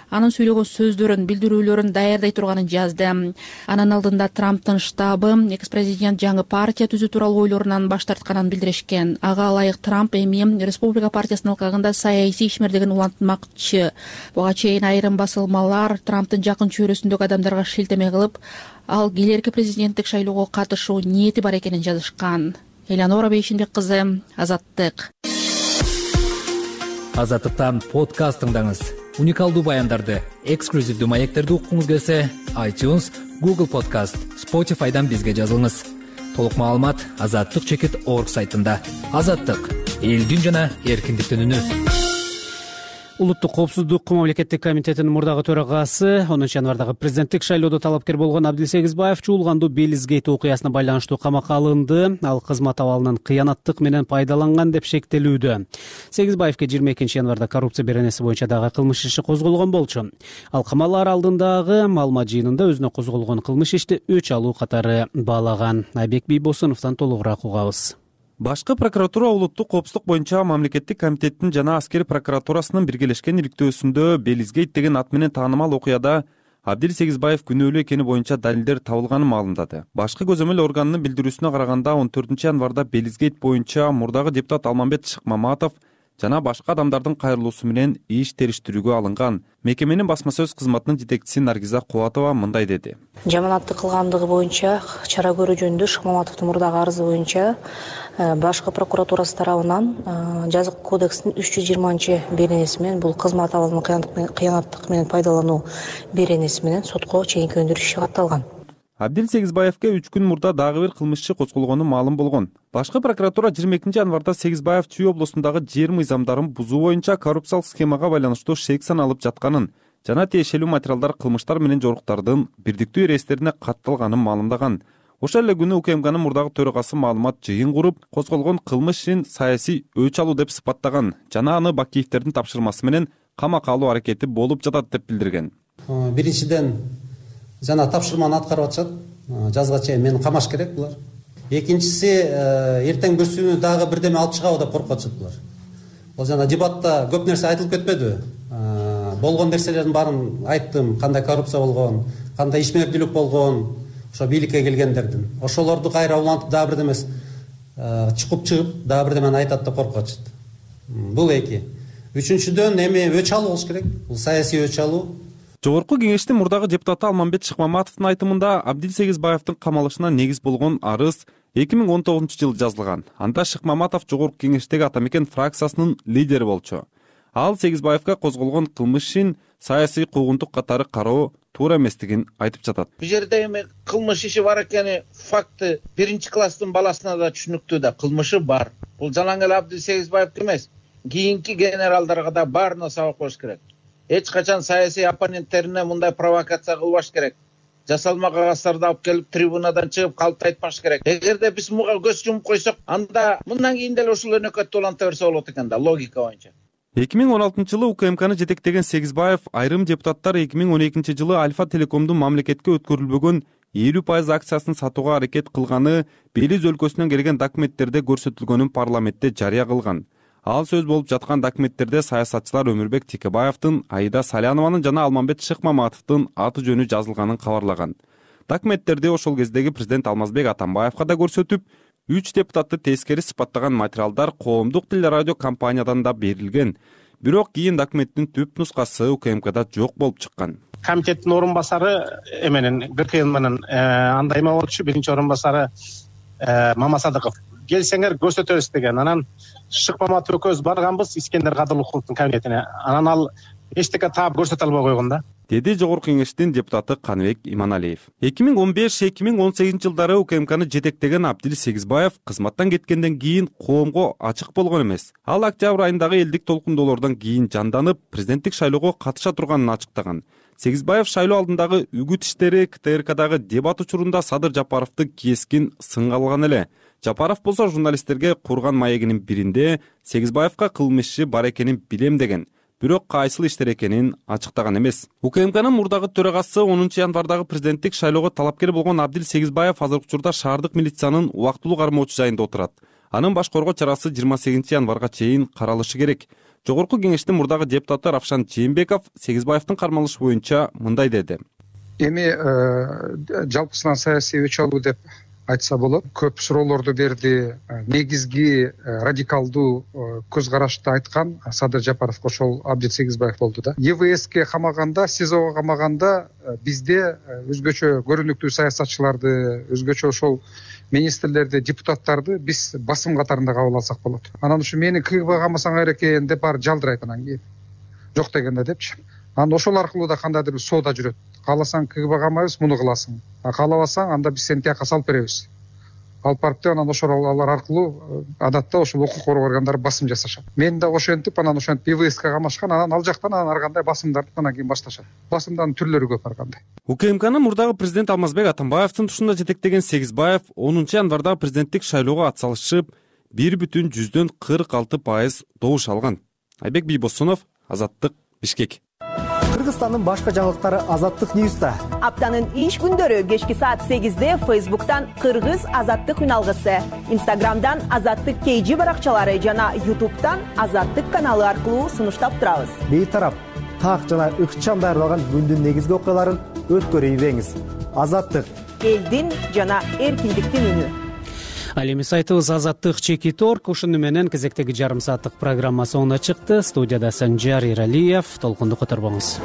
анын сүйлөгөн сөздөрүн, билдирүүлөрүн даярдай турганын жазды. Анын алдында Трамптын штабы экс-президент жаңы партия түзүү тууралуу ойлорунан баш тартканын билдиришкен. Ага ылайык Трамп эми Республика партиясынын алкагында саясий ишмердигин улантмакчы. Буга чейин айрым басылмалар Трамптын жакын чөйрөсүндөгү адамдарга шилтеме кылып, ал келерки президенттик шайлоого катышуу ниети бар экенин жазышкан. Элеонора Бейшенбек кызы, Азаттык. Азаттыктан подкаст тыңдаңыз. Уникалдуу баяндарды, эксклюзивдүү маектерди уккуңуз келсе, iTunes, Google Podcast, Spotify'дан бизге жазылыңыз. Толук маалымат азаттык чекит орг сайтында. Азаттык — элдин жана эркиндиктин үнү. Улуттук коопсуздук мамлекеттик комитетинин мурдагы төрагасы онунчу январдагы президенттик шайлоодо талапкер болгон Абдил Сегизбаев чуулгандуу Белизгейт окуясына байланыштуу камакка алынды. Ал кызмат абалынан кыянаттык менен пайдаланган деп шектелүүдө. Сегизбаевке жыйырма экинчи январда коррупция беренеси боюнча дагы кылмыш иши козголгон болчу. Ал камалар алдындагы маалымат жыйынында өзүнө козголгон кылмыш ишти өч алуу катары баалаган. Айбек Бийбосуновдон толугураак угабыз. Башкы прокуратура улуттук коопсуздук боюнча мамлекеттик комитеттин жана аскер прокуратурасынын биргелешкен иликтөөсүндө Белизгейт деген ат менен таанымал окуяда Абдил Сегизбаев күнөөлүү экени боюнча далилдер табылганын маалымдады. Башкы көзөмөл органынын билдирүүсүнө караганда он төртүнчү январда Белизгейт боюнча мурдагы депутат Алмамбет Шыкмаматов жана башка адамдардын кайрылуусу менен иш териштирүүгө алынган. Мекеменин басма сөз кызматынын жетекчиси Наргиза Кубатова мындай деди. Жаманатты кылгандыгы боюнча чара көрүү жөнүндө Шыкмаматовдун мурдагы арызы боюнча башкы прокуратурасы тарабынан жазык кодекстин үч жүз жыйырманчы беренеси менен бул кызмат абалын кыянаттык менен пайдалануу беренеси менен сотко чейинки өндүрүш иши катталган. Абдил Сегизбаевке үч күн мурда дагы бир кылмыш иши козголгону маалым болгон. Башкы прокуратура жыйырма экинчи январда Сегизбаев Чүй облусундагы жер мыйзамдарын бузуу боюнча коррупциялык схемага байланыштуу шек саналып жатканын жана тиешелүү материалдар кылмыштар менен жоруктардын бирдиктүү эрестерине катталганын маалымдаган. Ошол эле күнү УКМКнын мурдагы төрагасы маалымат жыйын куруп, козголгон кылмыш ишин саясий өч алуу деп сыпаттаган жана аны Бакиевдердин тапшырмасы менен камакка алуу аракети болуп жатат деп билдирген. Биринчиден жана тапшырманы аткарып атышат. Жазга чейин мени камаш керек булар. Экинчиси эртең бүрсүүнү дагы бирдеме алып чыгабы деп коркуп атышат булар. Бул жана дебатта көп нерсе айтылып кетпедиби? Болгон нерселердин баарын айттым, кандай коррупция болгон, кандай ишмердүүлүк болгон, ошо бийликке келгендердин. Ошолорду кайра улантып дагы бирдеме чукуп чыгып, дагы бирдемени айтат деп коркуп атышат. Бул эки. Үчүнчүдөн эми өч алуу болуш керек. Бул саясий өч алуу. Жогорку кеңештин мурдагы депутаты Алмамбет Шыкмаматовдун айтымында Абдил Сегизбаевдин камалышына негиз болгон арыз эки миң он тогузунчу жылы жазылган. Анда Шыкмаматов жогорку кеңештеги Атамекен фракциясынын лидери болчу. Ал Сегизбаевга козголгон кылмыш ишин саясий куугунтук катары кароо туура эместигин айтып жатат. Бул жерде эми кылмыш иши бар экени факты биринчи класстын баласына да түшүнүктүү да, кылмышы бар. Бул жалаң эле Абдил Сегизбаевке эмес, кийинки генералдарга да баарына сабак болуш керек. Эч качан саясий оппоненттерине мындай провокация кылбаш керек. Жасалма кагазтарды алып келип трибунадан чыгып калп айтпаш керек. Эгерде биз муга көз жумуп койсок, анда мындан кийин деле ушул өнөкөттү уланта берсе болот экен да, логика боюнча. эки миң он алтынчы жылы УКМКны жетектеген Сегизбаев айрым депутаттар эки миң он экинчи жылы Альфа Телекомдун мамлекетке өткөрүлбөгөн элүү пайыз акциясын сатууга аракет кылганы Белиз өлкөсүнөн келген документтерде көрсөтүлгөнүн парламентте жарыя кылган. Ал сөз болуп жаткан документтерде саясатчылар Өмүрбек Текебаевдин, Аида Салянованын жана Алмамбет Шыкмаматовдун аты жөнү жазылганын кабарлаган. Документтерде ошол кездеги президент Алмазбек Атамбаевга да көрсөтүп, үч депутатты тескери сыпаттаган материалдар коомдук телерадио компаниядан да берилген. Бирок кийин документтин түп нускасы УКМКда жок болуп чыккан. Комитеттин орун басары эменен ГКН менен андай эме болчу, биринчи орун басары Мамасадыков. Келсеңер көрсөтөбүз деген. Анан Шыкмаматов экөөбүз барганбыз Искендер Кадырлыковдун кабинетине. Анан ал эчтеке таап көрсөтө албай койгон да. Деди жогорку кеңештин депутаты Каныбек Иманалиев. эки миң он беш эки миң он сегизинчи жылдары УКМКны жетектеген Абдил Сегизбаев кызматтан кеткенден кийин коомго ачык болгон эмес. Ал октябрь айындагы элдик толкундоолордон кийин жанданып, президенттик шайлоого катыша турганын ачыктаган. Сегизбаев шайлоо алдындагы үгүт иштери КТРКдагы дебат учурунда Садыр Жапаровду кескин сынга алган эле. Жапаров болсо журналисттерге курган маегинин биринде Сегизбаевга кылмыш иши бар экенин билем деген. Бирок кайсыл иштер экенин ачыктаган эмес. УКМКнын мурдагы төрагасы онунчу январдагы президенттик шайлоого талапкер болгон Абдил Сегизбаев азыркы учурда шаардык милициянын убактылуу кармоочу жайында отурат. Анын баш коргоо чарасы жыйырма сегизинчи январга чейин каралышы керек. Жогорку кеңештин мурдагы депутаты Равшан Жээнбеков Сегизбаевдин кармалышы боюнча мындай деди. Эми жалпысынан саясий өч алуу деп айтса болот. Көп суроолорду берди. Негизги радикалдуу көз карашты айткан Садыр Жапаров ошол Абдил Сегизбаев болду да. Е В Ске камаганда, СИЗОго камаганда бизде өзгөчө көрүнүктүү саясатчыларды, өзгөчө ошол министрлерди, депутаттарды биз басым катарында кабыл алсак болот. Анан ушу мени КГБ камасаңар экен деп баары жалдырайт анан кийин. Жок дегенде депчи. Анан ошол аркылуу да кандайдыр бир соода жүрөт. Кааласаң КГБ камайбыз, муну кыласың. А каалабасаң анда биз сени тияка салып беребиз. Алып барып деп анан ошол алар аркылуу адатта ошол укук коргоо органдары басым жасашат. Мен да ошентип анан ошентип Е В Ске камашкан, анан ал жактан анан ар кандай басымдарды анан кийин башташат. Басымдардын түрлөрү көп ар кандай. УКМКнын мурдагы президенти Алмазбек Атамбаевдин тушунда жетектеген Сегизбаев онунчу январдагы президенттик шайлоого атсалышып, бир бүтүн жүздөн кырк алты пайыз добуш алган. Айбек Бийбосунов, Азаттык, Бишкек. Кыргызстандын башка жаңылыктары Азаттык Ньюста. Аптанын иш күндөрү кечки саат сегизде Фейсбуктан Кыргыз Азаттык үналгысы, Инстаграмдан Азаттык кей жи баракчалары жана Ютубтан Азаттык каналы аркылуу сунуштап турабыз. Бейтарап, так жана ыкчам даярдалган күндүн негизги окуяларын өткөрүп ийбеңиз. Азаттык, элдин жана эркиндиктин үнү. Ал эми сайтыбыз Азаттык чекит орг. Ушуну менен кезектеги жарым сааттык программа соңуна чыкты. Студияда Санжар Иралиев. Толкунду которбоңуз.